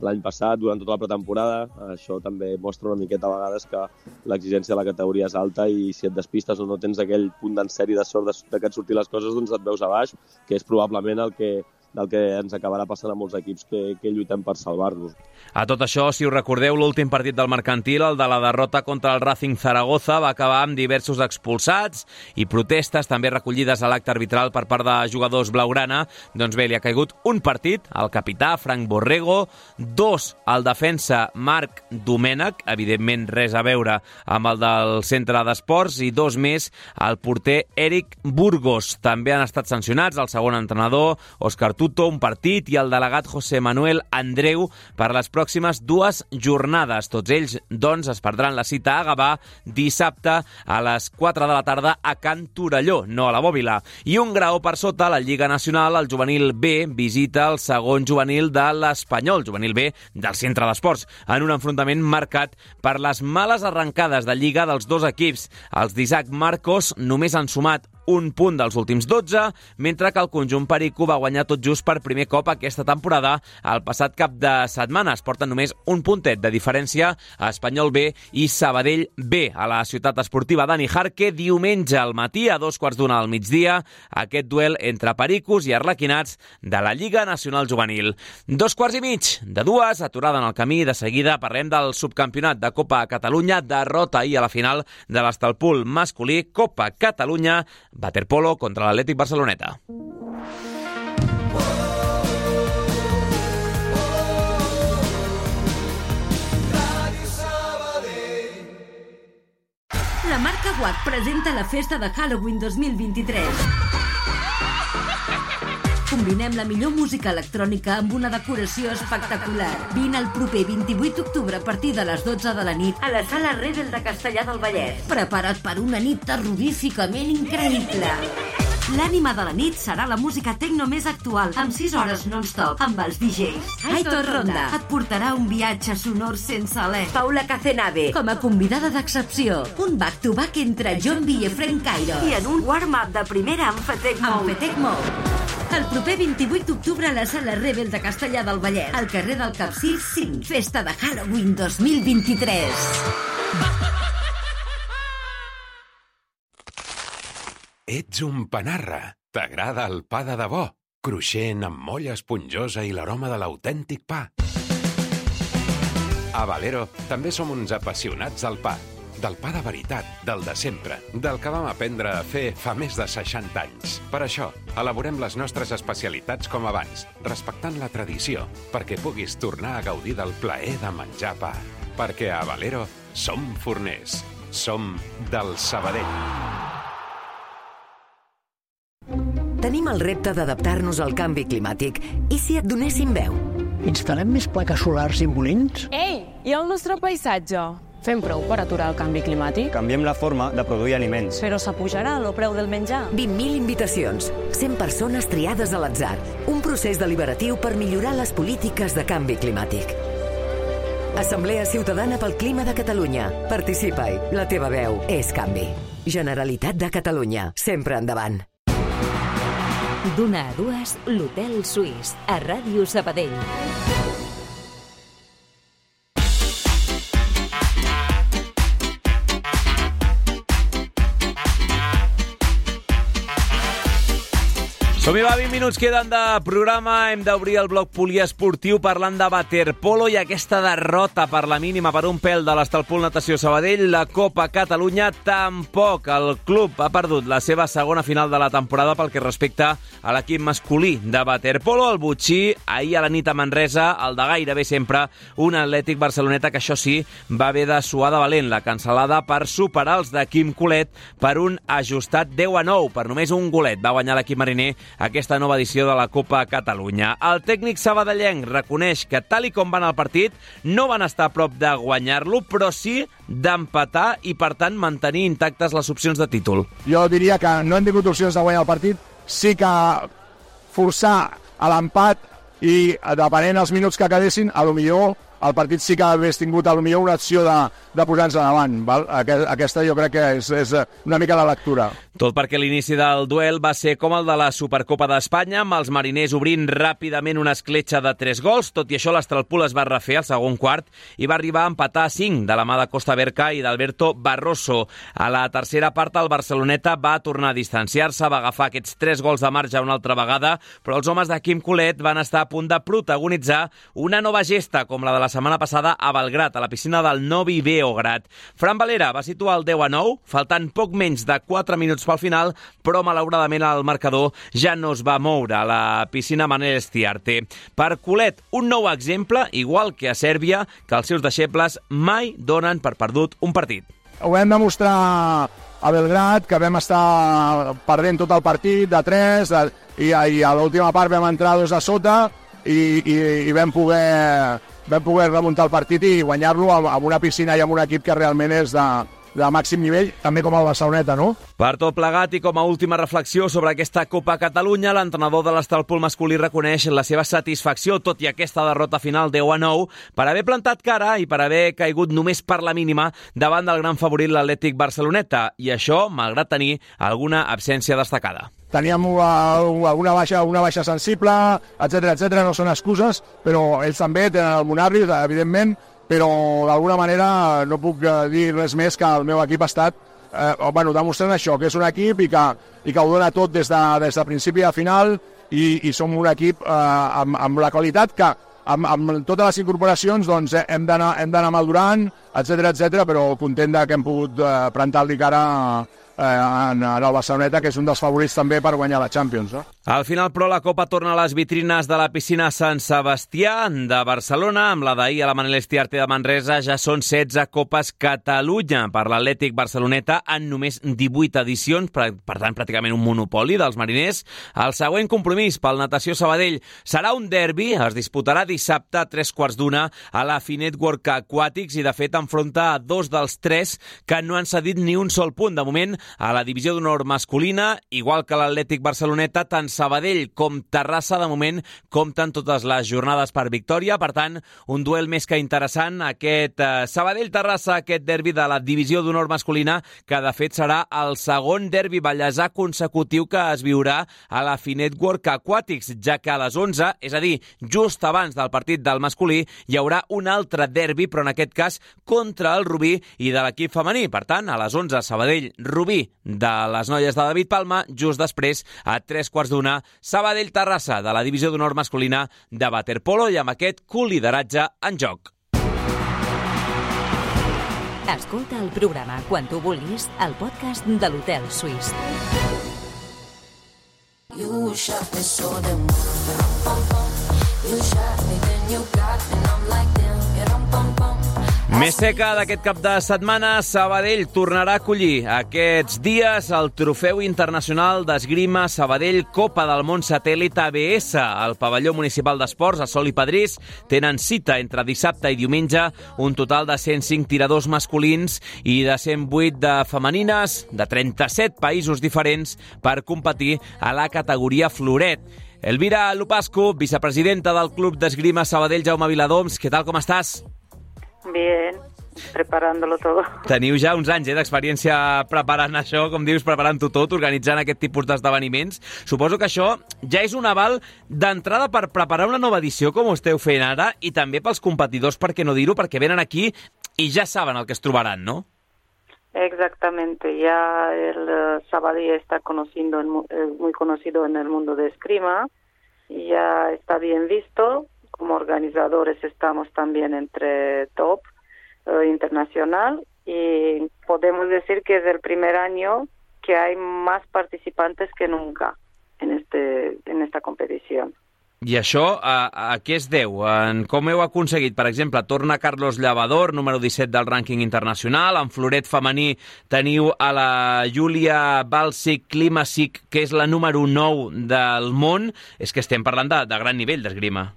l'any passat, durant tota la pretemporada. Això també mostra una miqueta a vegades que l'exigència de la categoria és alta i si et despistes o no tens aquell punt d'encert i de sort de, de que et surtin les coses, doncs et veus a baix, que és probablement el que del que ens acabarà passant a molts equips que, que lluitem per salvar-nos. A tot això, si us recordeu, l'últim partit del Mercantil, el de la derrota contra el Racing Zaragoza, va acabar amb diversos expulsats i protestes també recollides a l'acte arbitral per part de jugadors blaugrana. Doncs bé, li ha caigut un partit al capità Frank Borrego, dos al defensa Marc Domènech, evidentment res a veure amb el del centre d'esports, i dos més al porter Eric Burgos. També han estat sancionats el segon entrenador, Òscar Tuto, un partit, i el delegat José Manuel Andreu per les pròximes dues jornades. Tots ells, doncs, es perdran la cita a Gavà dissabte a les quatre de la tarda a Can Torelló, no a la Bòbila. I un grau per sota, la Lliga Nacional, el juvenil B visita el segon juvenil de l'Espanyol, juvenil B del centre d'esports, en un enfrontament marcat per les males arrencades de Lliga dels dos equips. Els d'Isaac Marcos només han sumat un punt dels últims dotze, mentre que el conjunt perico va guanyar tot just per primer cop aquesta temporada el passat cap de setmana. Es porten només un puntet de diferència a Espanyol B i Sabadell B. A la ciutat esportiva Dani Jarque, diumenge al matí, a dos quarts d'una al migdia, aquest duel entre pericos i arlequinats de la Lliga Nacional Juvenil. Dos quarts i mig de dues, aturada en el camí. De seguida parlem del subcampionat de Copa Catalunya, derrota ahir a la final de l'Estalpul masculí, Copa Catalunya, waterpolo contra l'Atlètic Barceloneta. La marca W A C presenta la festa de Halloween dos mil vint-i-tres. Combinem la millor música electrònica amb una decoració espectacular. Vine el proper vint-i-vuit d'octubre a partir de les dotze de la nit a la Sala Rebel de Castellar del Vallès. Prepara't per una nit terroríficament increïble. L'ànima de la nit serà la música tecno més actual, amb sis hores non-stop, amb els D Js. Aitor Ronda et portarà un viatge sonor sense alè. Paula Cacenave, com a convidada d'excepció. Un back-to-back entre John B i Efraín Cairo. I en un warm-up de primera amb Fetec Mou. Amb Fetec Mou. El proper vint-i-vuit d'octubre a la Sala Rebel de Castellar del Vallès, al carrer del Capcir cinc. Festa de Halloween dos mil vint-i-tres. Ets un panarra. T'agrada el pa de debò, cruixent amb molla esponjosa i l'aroma de l'autèntic pa. A Valero també som uns apassionats del pa. Del pa de veritat, del de sempre, del que vam aprendre a fer fa més de seixanta anys. Per això, elaborem les nostres especialitats com abans, respectant la tradició, perquè puguis tornar a gaudir del plaer de menjar pa. Perquè a Valero som forners. Som del Sabadell. Tenim el repte d'adaptar-nos al canvi climàtic. I si et donéssim veu? Instal·lem més plaques solars i molins? Ei, i el nostre paisatge? Fem prou per aturar el canvi climàtic? Canviem la forma de produir aliments. Però s'apujarà el preu del menjar. vint mil invitacions, cent persones triades a l'atzar. Un procés deliberatiu per millorar les polítiques de canvi climàtic. Assemblea Ciutadana pel Clima de Catalunya. Participa-hi. La teva veu és canvi. Generalitat de Catalunya. Sempre endavant. D'una a dues, l'Hotel Suís, a Ràdio Sabadell. Som-hi, va, vint minuts queden de programa. Hem d'obrir el bloc poliesportiu parlant de waterpolo i aquesta derrota per la mínima per un pèl de l'Estalpul Natació Sabadell. La Copa Catalunya tampoc. El club ha perdut la seva segona final de la temporada pel que respecta a l'equip masculí de waterpolo. El Botxí, ahir a la nit a Manresa, el de gairebé sempre un Atlètic Barceloneta que, això sí, va haver de suar de valent la cancel·lada per superar els de Quim Colet per un ajustat deu a nou. Per només un golet va guanyar l'equip mariner aquesta nova edició de la Copa Catalunya. El tècnic sabadellenc reconeix que, tal i com va anar el partit, no van estar a prop de guanyar-lo, però sí d'empatar i, per tant, mantenir intactes les opcions de títol. Jo diria que no hem tingut opcions de guanyar el partit, sí que forçar a l'empat i, depenent els minuts que quedessin, a lo millor el partit sí que hagués tingut potser una acció de, de posar-nos endavant. Val? Aquesta jo crec que és, és una mica la lectura. Tot perquè l'inici del duel va ser com el de la Supercopa d'Espanya, amb els mariners obrint ràpidament una escletxa de tres gols. Tot i això, l'Astralpool es va refer al segon quart i va arribar a empatar a cinc de la mà de Costa Berca i d'Alberto Barroso. A la tercera part, el Barceloneta va tornar a distanciar-se, va agafar aquests tres gols de marge una altra vegada, però els homes de Quim Colet van estar a punt de protagonitzar una nova gesta, com la de la setmana passada a Belgrat, a la piscina del Novi Beograd. Fran Valera va situar el deu a nou, faltant poc menys de quatre minuts pel final, però malauradament el marcador ja no es va moure a la piscina Manel Estiarte. Per Colet, un nou exemple, igual que a Sèrbia, que els seus deixebles mai donen per perdut un partit. Ho vam demostrar a Belgrat, que vam estar perdent tot el partit de tres, de, i, i a l'última part vam entrar dos a sota i, i, i vam poder, vam poder remuntar el partit i guanyar-lo amb una piscina i amb un equip que realment és de, de màxim nivell, també com el Barceloneta, no? Per tot plegat i com a última reflexió sobre aquesta Copa Catalunya, l'entrenador de l'Astralpool masculí reconeix la seva satisfacció, tot i aquesta derrota final deu a nou, per haver plantat cara i per haver caigut només per la mínima davant del gran favorit l'Atlètic Barceloneta, i això malgrat tenir alguna absència destacada. Teníem una, una, baixa, una baixa sensible, etcètera, etcètera, no són excuses, però ells també tenen el Monarri, evidentment, però d'alguna manera no puc dir res més que el meu equip ha estat eh, bueno, demostrant això, que és un equip i que, i que ho dona tot des de, des de principi a final i, i som un equip eh, amb, amb la qualitat que amb, amb totes les incorporacions doncs, hem d'anar madurant, etcètera, etcètera, però content de que hem pogut eh, plantar-li cara eh, en, en el Barceloneta, que és un dels favorits també per guanyar la Champions. No? Al final, però, la Copa torna a les vitrines de la piscina Sant Sebastià de Barcelona. Amb la d'ahir a la Manel Estiarte de Manresa ja són setze Copes Catalunya per l'Atlètic Barceloneta en només divuit edicions, per, per tant, pràcticament un monopoli dels mariners. El següent compromís pel Natació Sabadell serà un derbi, es disputarà dissabte a tres quarts d'una a la Finetwork Aquàtics i, de fet, enfronta a dos dels tres que no han cedit ni un sol punt. De moment, a la divisió d'honor masculina, igual que l'Atlètic Barceloneta, tant Sabadell com Terrassa, de moment, compten totes les jornades per victòria. Per tant, un duel més que interessant, aquest eh, Sabadell-Terrassa, aquest derbi de la divisió d'honor masculina, que de fet serà el segon derbi ballesà consecutiu que es viurà a la Finetwork Aquàtics, ja que a les onze, és a dir, just abans del partit del masculí, hi haurà un altre derbi, però en aquest cas contra el Rubí i de l'equip femení. Per tant, a les onze, Sabadell-Rubí de les noies de David Palma, just després, a tres quarts d'una, Sabadell-Terrassa de la divisió d'honor masculina de waterpolo i amb aquest colideratge en joc. Escolta el programa quan tu vulguis al podcast de l'Hotel Suís. You shot me so damn You shot me then you got me and I'm like damn pom pom. Més seca d'aquest cap de setmana, Sabadell tornarà a acollir aquests dies el Trofeu Internacional d'Esgrima Sabadell Copa del Món Satèl·lit A B S. Al pavelló municipal d'esports, a Sol i Pedrís, tenen cita entre dissabte i diumenge un total de cent cinc tiradors masculins i de cent vuit de femenines de trenta-set països diferents per competir a la categoria floret. Elvira Lupascu, vicepresidenta del Club d'Esgrima Sabadell Jaume Viladoms, què tal, com estàs? Bien, preparándolo todo. Teniu ja uns anys eh, d'experiència preparant això, com dius, preparant-ho tot, organitzant aquest tipus d'esdeveniments. Suposo que això ja és un aval d'entrada per preparar una nova edició, com ho esteu fent ara, i també pels competidors, per què no dir-ho, perquè venen aquí i ja saben el que es trobaran, no? Exactamente, ya el uh, Sabadell está conocido en, eh, muy conocido en el mundo de esgrima, y ya está bien visto. Como organizadores estamos también entre top eh, internacional y podemos decir que es el primer año que hay más participantes que nunca en este en esta competició. I això a, a què es deu? En com heu aconseguit? Per exemple, torna Carlos Llavador, número disset del rànquing internacional. En floret femení teniu a la Júlia Balsic Klimasic, que és la número nou del món. És que estem parlant de, de gran nivell d'esgrima.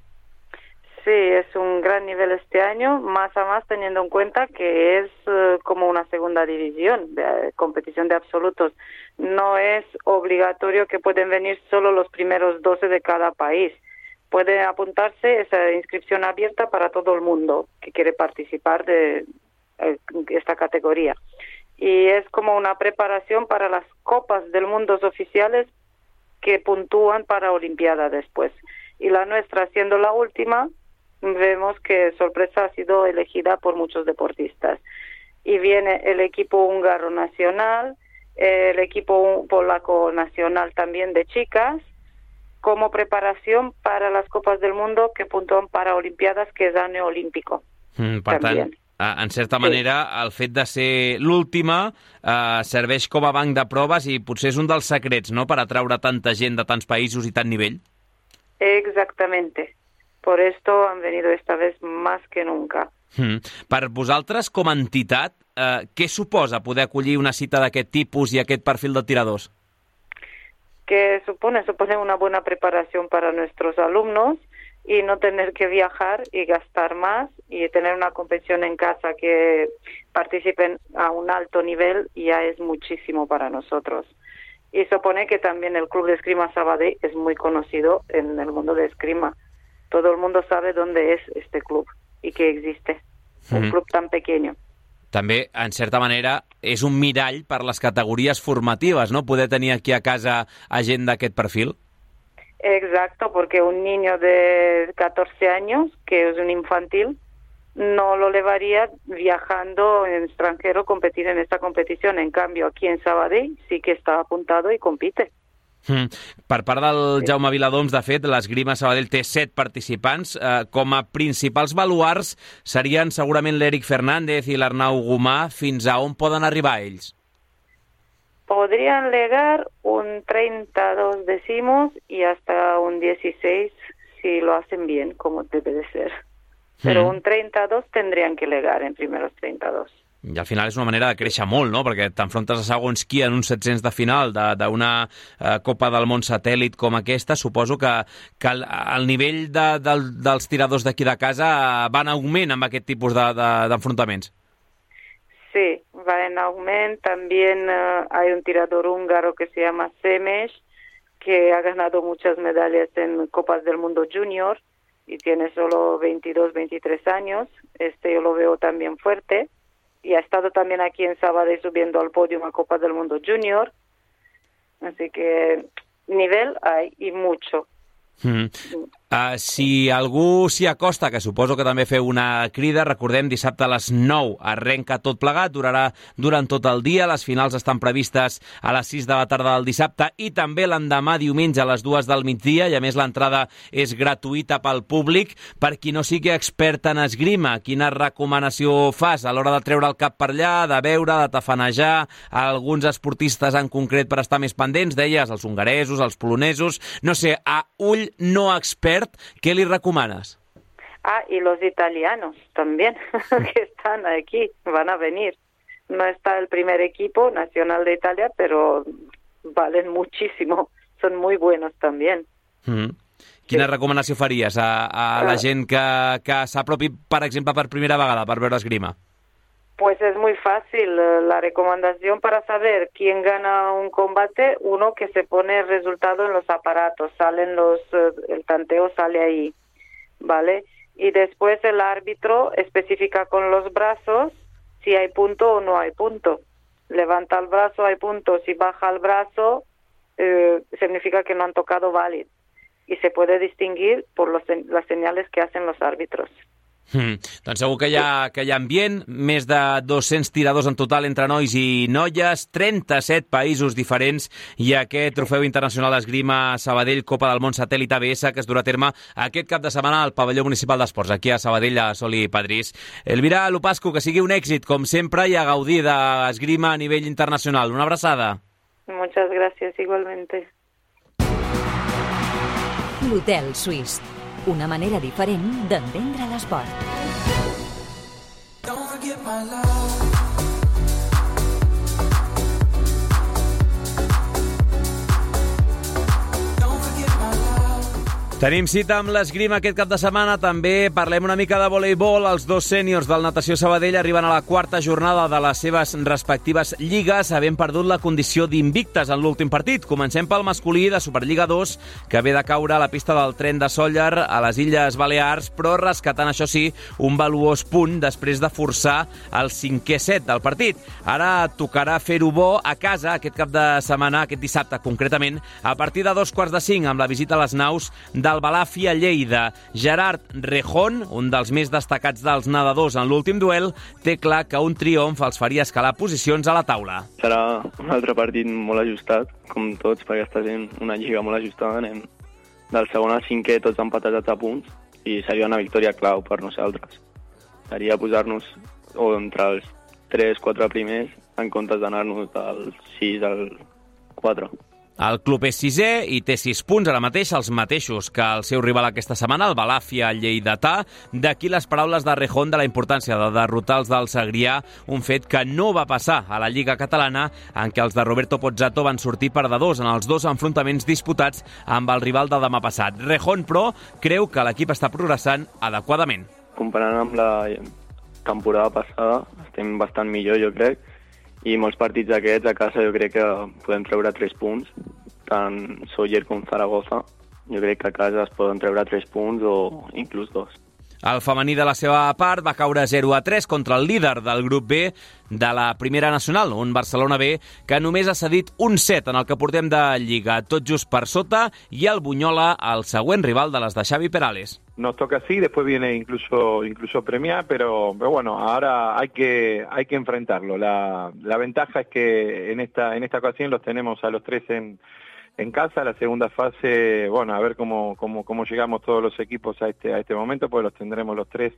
Sí, es un gran nivel este año, más a más teniendo en cuenta que es uh, como una segunda división, de uh, competición de absolutos. No es obligatorio que pueden venir solo los primeros doce de cada país. puede apuntarse, esa inscripción abierta para todo el mundo que quiere participar de eh, esta categoría. Y es como una preparación para las copas del mundo oficiales que puntúan para Olimpiada después. Y la nuestra, siendo la última, vemos que sorpresa ha sido elegida por muchos deportistas. Y viene el equipo húngaro nacional, el equipo polaco nacional también de chicas, como preparación para las Copas del Mundo que puntúan para Olimpiades, que és año olímpico. Mm, per También. tant, en certa manera, sí. El fet de ser l'última eh, serveix com a banc de proves i potser és un dels secrets, no?, per atraure tanta gent de tants països i tant nivell. Exactamente. Por esto han venido esta vez más que nunca. Mm. Per vosaltres, com a entitat, eh, què suposa poder acollir una cita d'aquest tipus i aquest perfil de tiradors? Que supone, supone una buena preparación para nuestros alumnos y no tener que viajar y gastar más y tener una competición en casa que participen a un alto nivel ya es muchísimo para nosotros. Y supone que también el Club de Esgrima Sabadell es muy conocido en el mundo de esgrima. Todo el mundo sabe dónde es este club y que existe. Un mm. club tan pequeño. També, en certa manera, és un mirall per les categories formatives, ¿no?, poder tenir aquí a casa a gent d'aquest perfil. Exacto, porque un niño de catorce años, que es un infantil, no lo llevaría viajando en extranjero a competir en esta competición. En cambio, aquí en Sabadell sí que está apuntado y compite. Mm. Per part del Jaume Viladoms, de fet, l'Esgrima Sabadell té set participants. Eh, com a principals baluars serien segurament l'Eric Fernández i l'Arnau Gomà. Fins a on poden arribar ells? Podrían llegar un treinta y dos decimos y hasta un dieciséis si lo hacen bien, como debe de ser. Pero mm. un treinta y dos tendrían que llegar en primeros treinta y dos. I al final és una manera de créixer molt, no?, perquè t'enfrontes a segons qui en uns set-cents de final d'una eh, Copa del Món satèl·lit com aquesta. Suposo que, que el, el nivell de, de, dels tiradors d'aquí de casa va en augment amb aquest tipus d'enfrontaments. De, de, sí, va en augment. También uh, hay un tirador húngaro que se llama Semes, que ha ganado muchas medallas en Copas del Mundo Junior y tiene solo veintidós, veintitrés años. Este yo lo veo también fuerte. Y ha estado también aquí en Sabadell subiendo al podio a Copa del Mundo Junior. Así que nivel hay y mucho. Mm. Uh, si algú s'hi acosta, que suposo que també feu una crida, recordem, dissabte a les nou arrenca tot plegat, durarà durant tot el dia, les finals estan previstes a les sis de la tarda del dissabte i també l'endemà diumenge a les dues del migdia, i a més l'entrada és gratuïta pel públic. Per qui no sigui expert en esgrima, quina recomanació fas a l'hora de treure el cap per allà, de veure, de tafanejar a alguns esportistes en concret per estar més pendents? Deies, els hongaresos, els polonesos, no sé, a ull no expert, ¿qué le recomanas? Ah, y los italianos también, que están aquí, van a venir. No está el primer equipo nacional de Italia, pero valen muchísimo, son muy buenos también. Mm. Quina sí. recomanació faries a, a la gent que, que s'apropi, per exemple, per primera vegada per veure esgrima? Pues es muy fácil la recomendación para saber quién gana un combate. Uno, que se pone el resultado en los aparatos, salen los, el tanteo sale ahí, ¿vale? Y después el árbitro especifica con los brazos si hay punto o no hay punto. Levanta el brazo, hay punto. Si baja el brazo, eh, significa que no han tocado válido. Y se puede distinguir por los, las señales que hacen los árbitros. Mm. Doncs segur que hi, ha, que hi ha ambient, més de dos-cents tiradors en total entre nois i noies, trenta-set països diferents, i aquest trofeu internacional d'esgrima Sabadell Copa del Món Satèl·lit A B S que es durà a terme aquest cap de setmana al pavelló municipal d'esports, aquí a Sabadell, a Sol i Padrís. Elvira Lupascu, que sigui un èxit, com sempre, i a gaudir d'esgrima a nivell internacional. Una abraçada. Muchas gracias, igualmente. L'Hotel Suís. Una manera diferent d'entendre l'esport. Tenim cita amb l'esgrima aquest cap de setmana. També parlem una mica de voleibol. Els dos sèniors del Natació Sabadell arriben a la quarta jornada de les seves respectives lligues, havent perdut la condició d'invictes en l'últim partit. Comencem pel masculí de Superliga dos, que ve de caure a la pista del tren de Sóller a les Illes Balears, però rescatant, això sí, un valuós punt després de forçar el cinquè set del partit. Ara tocarà fer-ho bo a casa aquest cap de setmana, aquest dissabte concretament, a partir de dos quarts de cinc, amb la visita a les naus de del Balàfia Lleida. Gerard Rejón, un dels més destacats dels nedadors en l'últim duel, té clar que un triomf els faria escalar posicions a la taula. Serà un altre partit molt ajustat, com tots, perquè està sent una lliga molt ajustada. Anem del segon al cinquè tots empatats a punts i seria una victòria clau per nosaltres. Seria posar-nos o entre els tres quatre primers en comptes d'anar-nos del sis al quatre. El club és sisè i té sis punts, ara mateix els mateixos que el seu rival aquesta setmana, el Balàfia lleidatà. D'aquí les paraules de Rejón de la importància de derrotar els del Segrià, un fet que no va passar a la Lliga Catalana, en què els de Roberto Pozzato van sortir perdedors en els dos enfrontaments disputats amb el rival de demà passat. Rejón, però, creu que l'equip està progressant adequadament. Comparant amb la temporada passada, estem bastant millor, jo crec, i molts partits d'aquests a casa jo crec que podem treure tres punts, tant Sóller com Zaragoza. Jo crec que a casa es poden treure tres punts o inclús dos. El femení de la seva part va caure zero a tres contra el líder del grup B de la Primera Nacional, un Barcelona B que només ha cedit un set en el que portem de Lliga, tot just per sota, i el Bunyola, el següent rival de les de Xavi Perales. Nos toca así, después viene incluso incluso Premià, pero, pero bueno, ahora hay que hay que enfrentarlo. La, la ventaja es que en esta en esta ocasión los tenemos a los tres en en casa. La segunda fase, bueno, a ver cómo cómo cómo llegamos todos los equipos a este a este momento, pues los tendremos los tres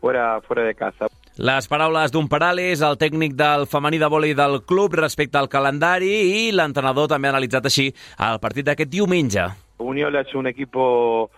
fuera fuera de casa. Les paraules d'un Perales, el tècnic del femení de vòlei del club respecte al calendari, i l'entrenador també ha analitzat així el partit d'aquest diumenge. Bunyola es un equipo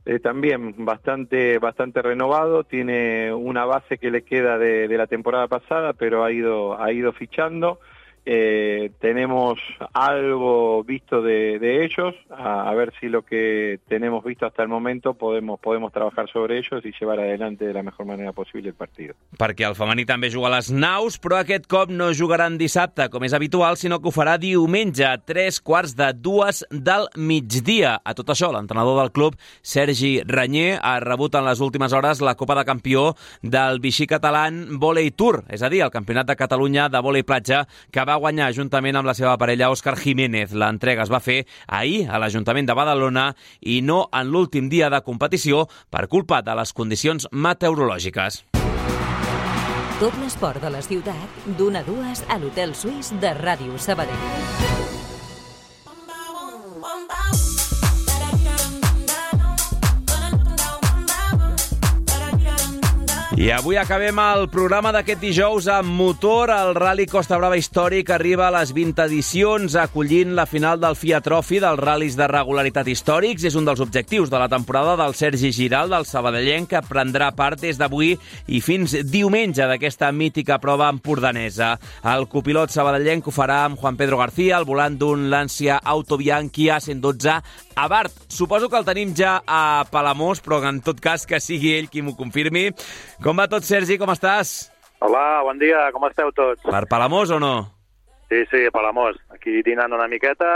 Eh, también bastante bastante renovado, tiene una base que le queda de, de la temporada pasada, pero ha ido ha ido fichando. Eh, tenemos algo visto de, de ellos, a, a ver si lo que tenemos visto hasta el momento podemos podemos trabajar sobre ellos y llevar adelante de la mejor manera posible el partido. Perquè el femení també juga a les naus, però aquest cop no jugaran dissabte, com és habitual, sinó que ho farà diumenge, a tres quarts de dues del migdia. A tot això, l'entrenador del club, Sergi Ranyer, ha rebut en les últimes hores la Copa de Campió del Vichy Catalán Volley Tour, és a dir, el Campionat de Catalunya de vòlei platja, que va guanyar juntament amb la seva parella Òscar Jiménez. L'entrega es va fer ahir a l'Ajuntament de Badalona i no en l'últim dia de competició per culpa de les condicions meteorològiques. Tot l'esport de la ciutat, d'una a dues a l'Hotel Suís de Ràdio Sabadell. I avui acabem el programa d'aquest dijous amb motor. El Rally Costa Brava històric arriba a les vint edicions, acollint la final del Fiat Trophy dels ral·lis de regularitat històrics. És un dels objectius de la temporada del Sergi Giral, del sabadellenc, que prendrà part des d'avui i fins diumenge d'aquesta mítica prova empordanesa. El copilot sabadellenc ho farà amb Juan Pedro García, al volant d'un Lancia Auto Bianchi A cent dotze Abarth. Suposo que el tenim ja a Palamós, però en tot cas que sigui ell qui m'ho confirmi. Com va tot, Sergi? Com estàs? Hola, bon dia, com esteu tots? Per Palamós o no? Sí, sí, a Palamós. Aquí dinant una miqueta,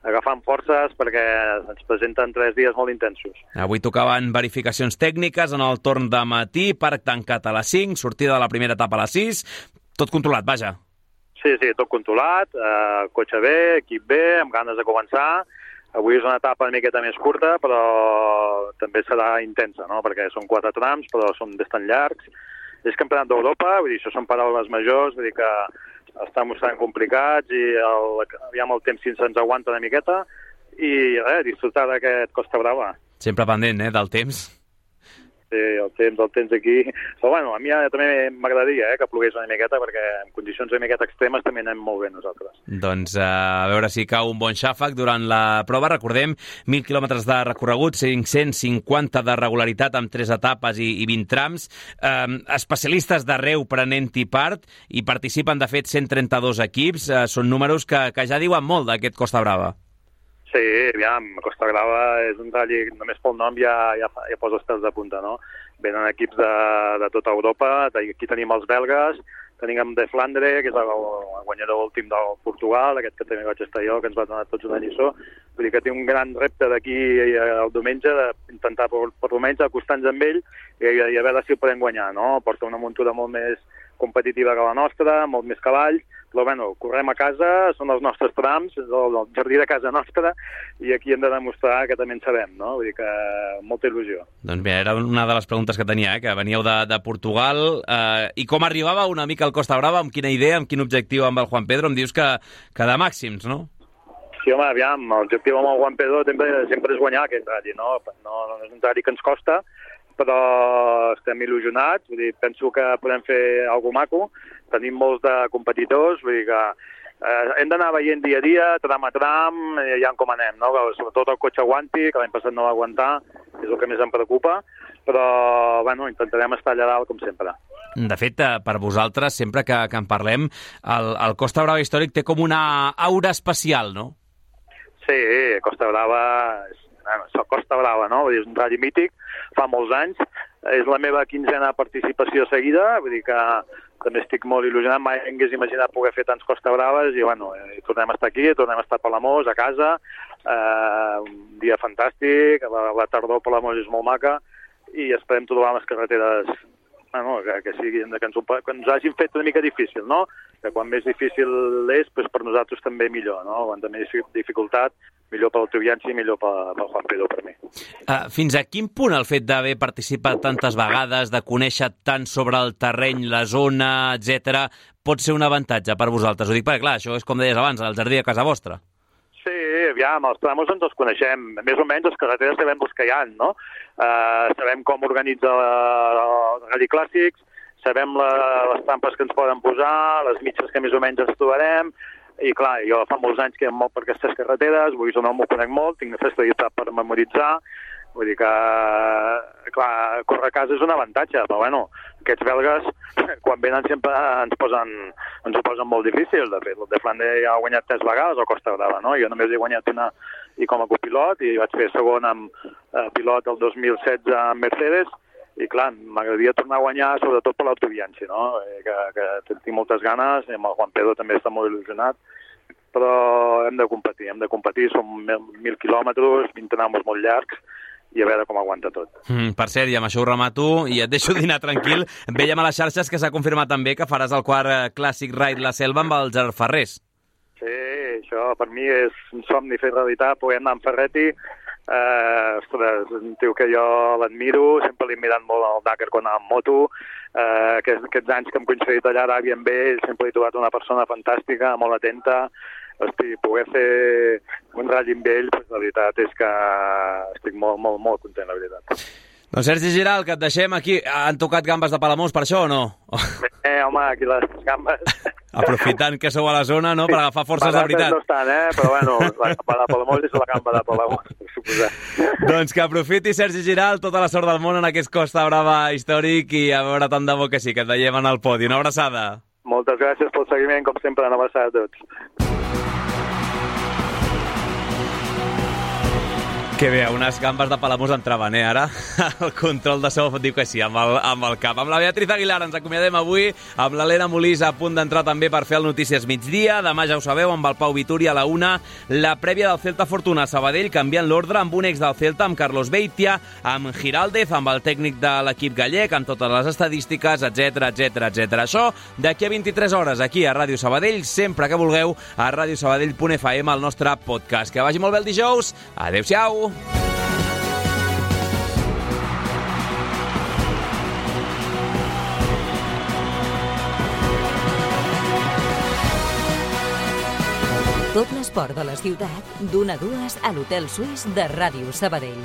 agafant forces perquè ens presenten tres dies molt intensos. Avui tocaven verificacions tècniques en el torn de matí, parc tancat a les cinc, sortida de la primera etapa a les sis, tot controlat, vaja. Sí, sí, tot controlat, eh, cotxe bé, equip bé, amb ganes de començar. Avui és una etapa una miqueta més curta, però també serà intensa, no? Perquè són quatre trams, però són bastant llargs. És campionat d'Europa, vull dir, això són paraules majors, vull dir que estan mostrant complicats i el, aviam el temps si se'ns aguanta una miqueta i res, disfrutar d'aquest Costa Brava. Sempre pendent, eh, del temps. Sí, el temps, el temps aquí. Però bueno, a mi també m'agradaria eh, que plogués una miqueta, perquè en condicions una miqueta extremes també anem molt bé nosaltres. Doncs uh, a veure si cau un bon xàfec durant la prova. Recordem, mil quilòmetres de recorregut, cinc-cents cinquanta de regularitat amb tres etapes i, i vint trams. Um, especialistes d'arreu prenent-hi part i participen, de fet, cent trenta-dos equips. Uh, són números que, que ja diuen molt d'aquest Costa Brava. Sí, aviam, Costa Brava és un rally, només pel nom ja, ja, ja posa els pèls de punta, no? Venen equips de, de tota Europa, aquí tenim els belgues, tenim de Flandre, que és el, el guanyador últim del Portugal, aquest que també vaig estar jo, que ens va donar tots una lliçó. Vull dir que té un gran repte d'aquí el diumenge d'intentar per, per almenys acostar-nos amb ell i, i a veure si el podem guanyar, no? Porta una muntura molt més competitiva que la nostra, molt més cavalls, però bueno, correm a casa, són els nostres trams, és el, el jardí de casa nostra, i aquí hem de demostrar que també en sabem, no? Vull dir que molta il·lusió. Doncs bé, era una de les preguntes que tenia, eh? Que veníeu de, de Portugal, eh, i com arribava una mica al Costa Brava, amb quina idea, amb quin objectiu amb el Juan Pedro? Em dius que, que de màxims, no? Sí, home, aviam, l'objectiu amb el Juan Pedro sempre, sempre és guanyar aquest rally, no? No, no és un rally que ens costa, però estem il·lusionats, vull dir, penso que podem fer alguna maco, tenim molts de competidors, vull dir que eh, hem d'anar veient dia a dia, tram a tram, i ja com anem, no? Sobretot el cotxe aguanti, que l'any passat no va aguantar, és el que més em preocupa, però bueno, intentarem estar allà dalt com sempre. De fet, per vosaltres, sempre que, que en parlem, el, el Costa Brava històric té com una aura especial, no? Sí, Costa Brava és bueno, Costa Brava, no? Vull dir, és un rally mític, fa molts anys, és la meva quinzena participació seguida, vull dir que també estic molt il·lusionat, mai hagués imaginat poder fer tants Costa Braves i bueno, i tornem a estar aquí, tornem a estar a Palamós, a casa, eh, un dia fantàstic, la, la tardor a Palamós és molt maca i esperem trobar les carreteres bueno, que, que, siguin, que, ens, que ens hagin fet una mica difícil, no? Que quan més difícil és, doncs per nosaltres també millor, no? Quan també és dificultat, millor per l'autovianci i millor pel, pel Juan Pedro per mi. Uh, fins a quin punt el fet d'haver participat tantes vegades, de conèixer tant sobre el terreny, la zona, etcètera, pot ser un avantatge per vosaltres? Ho dic perquè, clar, això és com deies abans, el jardí a casa vostra. Sí, aviam, els tramos ens els coneixem. Més o menys les carreteres sabem els que hi ha, no? Uh, sabem com organitza els rally clàssics, sabem la, les trampes que ens poden posar, les mitges que més o menys ens trobarem, i clar, jo fa molts anys que hi ha molt per aquestes carreteres, vull dir, no m'ho conec molt, tinc una festivitat per memoritzar, vull dir que, clar, córrer a casa és un avantatge, però bueno, aquests belgues, quan venen sempre ens posen, ens ho posen molt difícil, de fet, el de Flandre ja ha guanyat tres vegades a Costa Brava, no? Jo només he guanyat una i com a copilot, i vaig fer segon amb eh, pilot el dos mil setze amb Mercedes, i clar, m'agradaria tornar a guanyar sobretot per l'autovianci, no? Eh, que, que tinc moltes ganes, i amb el Juan Pedro també està molt il·lusionat, però hem de competir, hem de competir, som mil, mil quilòmetres, vint tramos molt llargs, i a veure com aguanta tot. Mm, per cert, i amb això ho remato, i et deixo dinar tranquil, veiem a les xarxes que s'ha confirmat també que faràs el quart Clàssic Ride La Selva amb el Gerard Ferrés. Sí, això per mi és un somni fer realitat, poder anar amb Ferretti. Eh, ostres, un tio que jo l'admiro, sempre l'he mirat molt al Dakar quan anava amb moto, eh, aquests, aquests anys que hem coincidit allà a Aràbia amb ell, sempre he trobat una persona fantàstica, molt atenta, hosti, poder fer un ratll amb ell, pues, la veritat és que estic molt, molt, molt content, la veritat. Doncs Sergi Giral, que et deixem aquí. Han tocat gambes de Palamós per això o no? Eh, home, aquí les gambes... Aprofitant que sou a la zona, no?, per agafar forces de veritat. No estan, eh? Però bueno, la gamba de Palamós és la gamba de Palamós, per suposar. Doncs que aprofiti Sergi Giral, tota la sort del món en aquest Costa Brava històric i a veure tant de bo que sí, que et veiem en el podi. Una abraçada. Moltes gràcies pel seguiment, com sempre, una abraçada a tots. Que bé, unes gambes de Palamós entraven, eh, ara? El control de so diu que sí, amb el, amb el cap. Amb la Beatriz Aguilar ens acomiadem avui, amb l'Helena Molís a punt d'entrar també per fer el Notícies Migdia. Demà ja ho sabeu, amb el Pau Vituri a la una, la prèvia del Celta Fortuna Sabadell, canviant l'ordre amb un ex del Celta, amb Carlos Beitia, amb Giraldez, amb el tècnic de l'equip gallec, amb totes les estadístiques, etcètera, etcètera, etcètera. Això d'aquí a vint-i-tres hores, aquí a Ràdio Sabadell, sempre que vulgueu, a radiosabadell punt f m, el nostre podcast. Que vagi molt bé el dijous. Adéu-siau. Tot l'esport de la ciutat, d'una a dues a l'Hotel Suís de Ràdio Sabadell.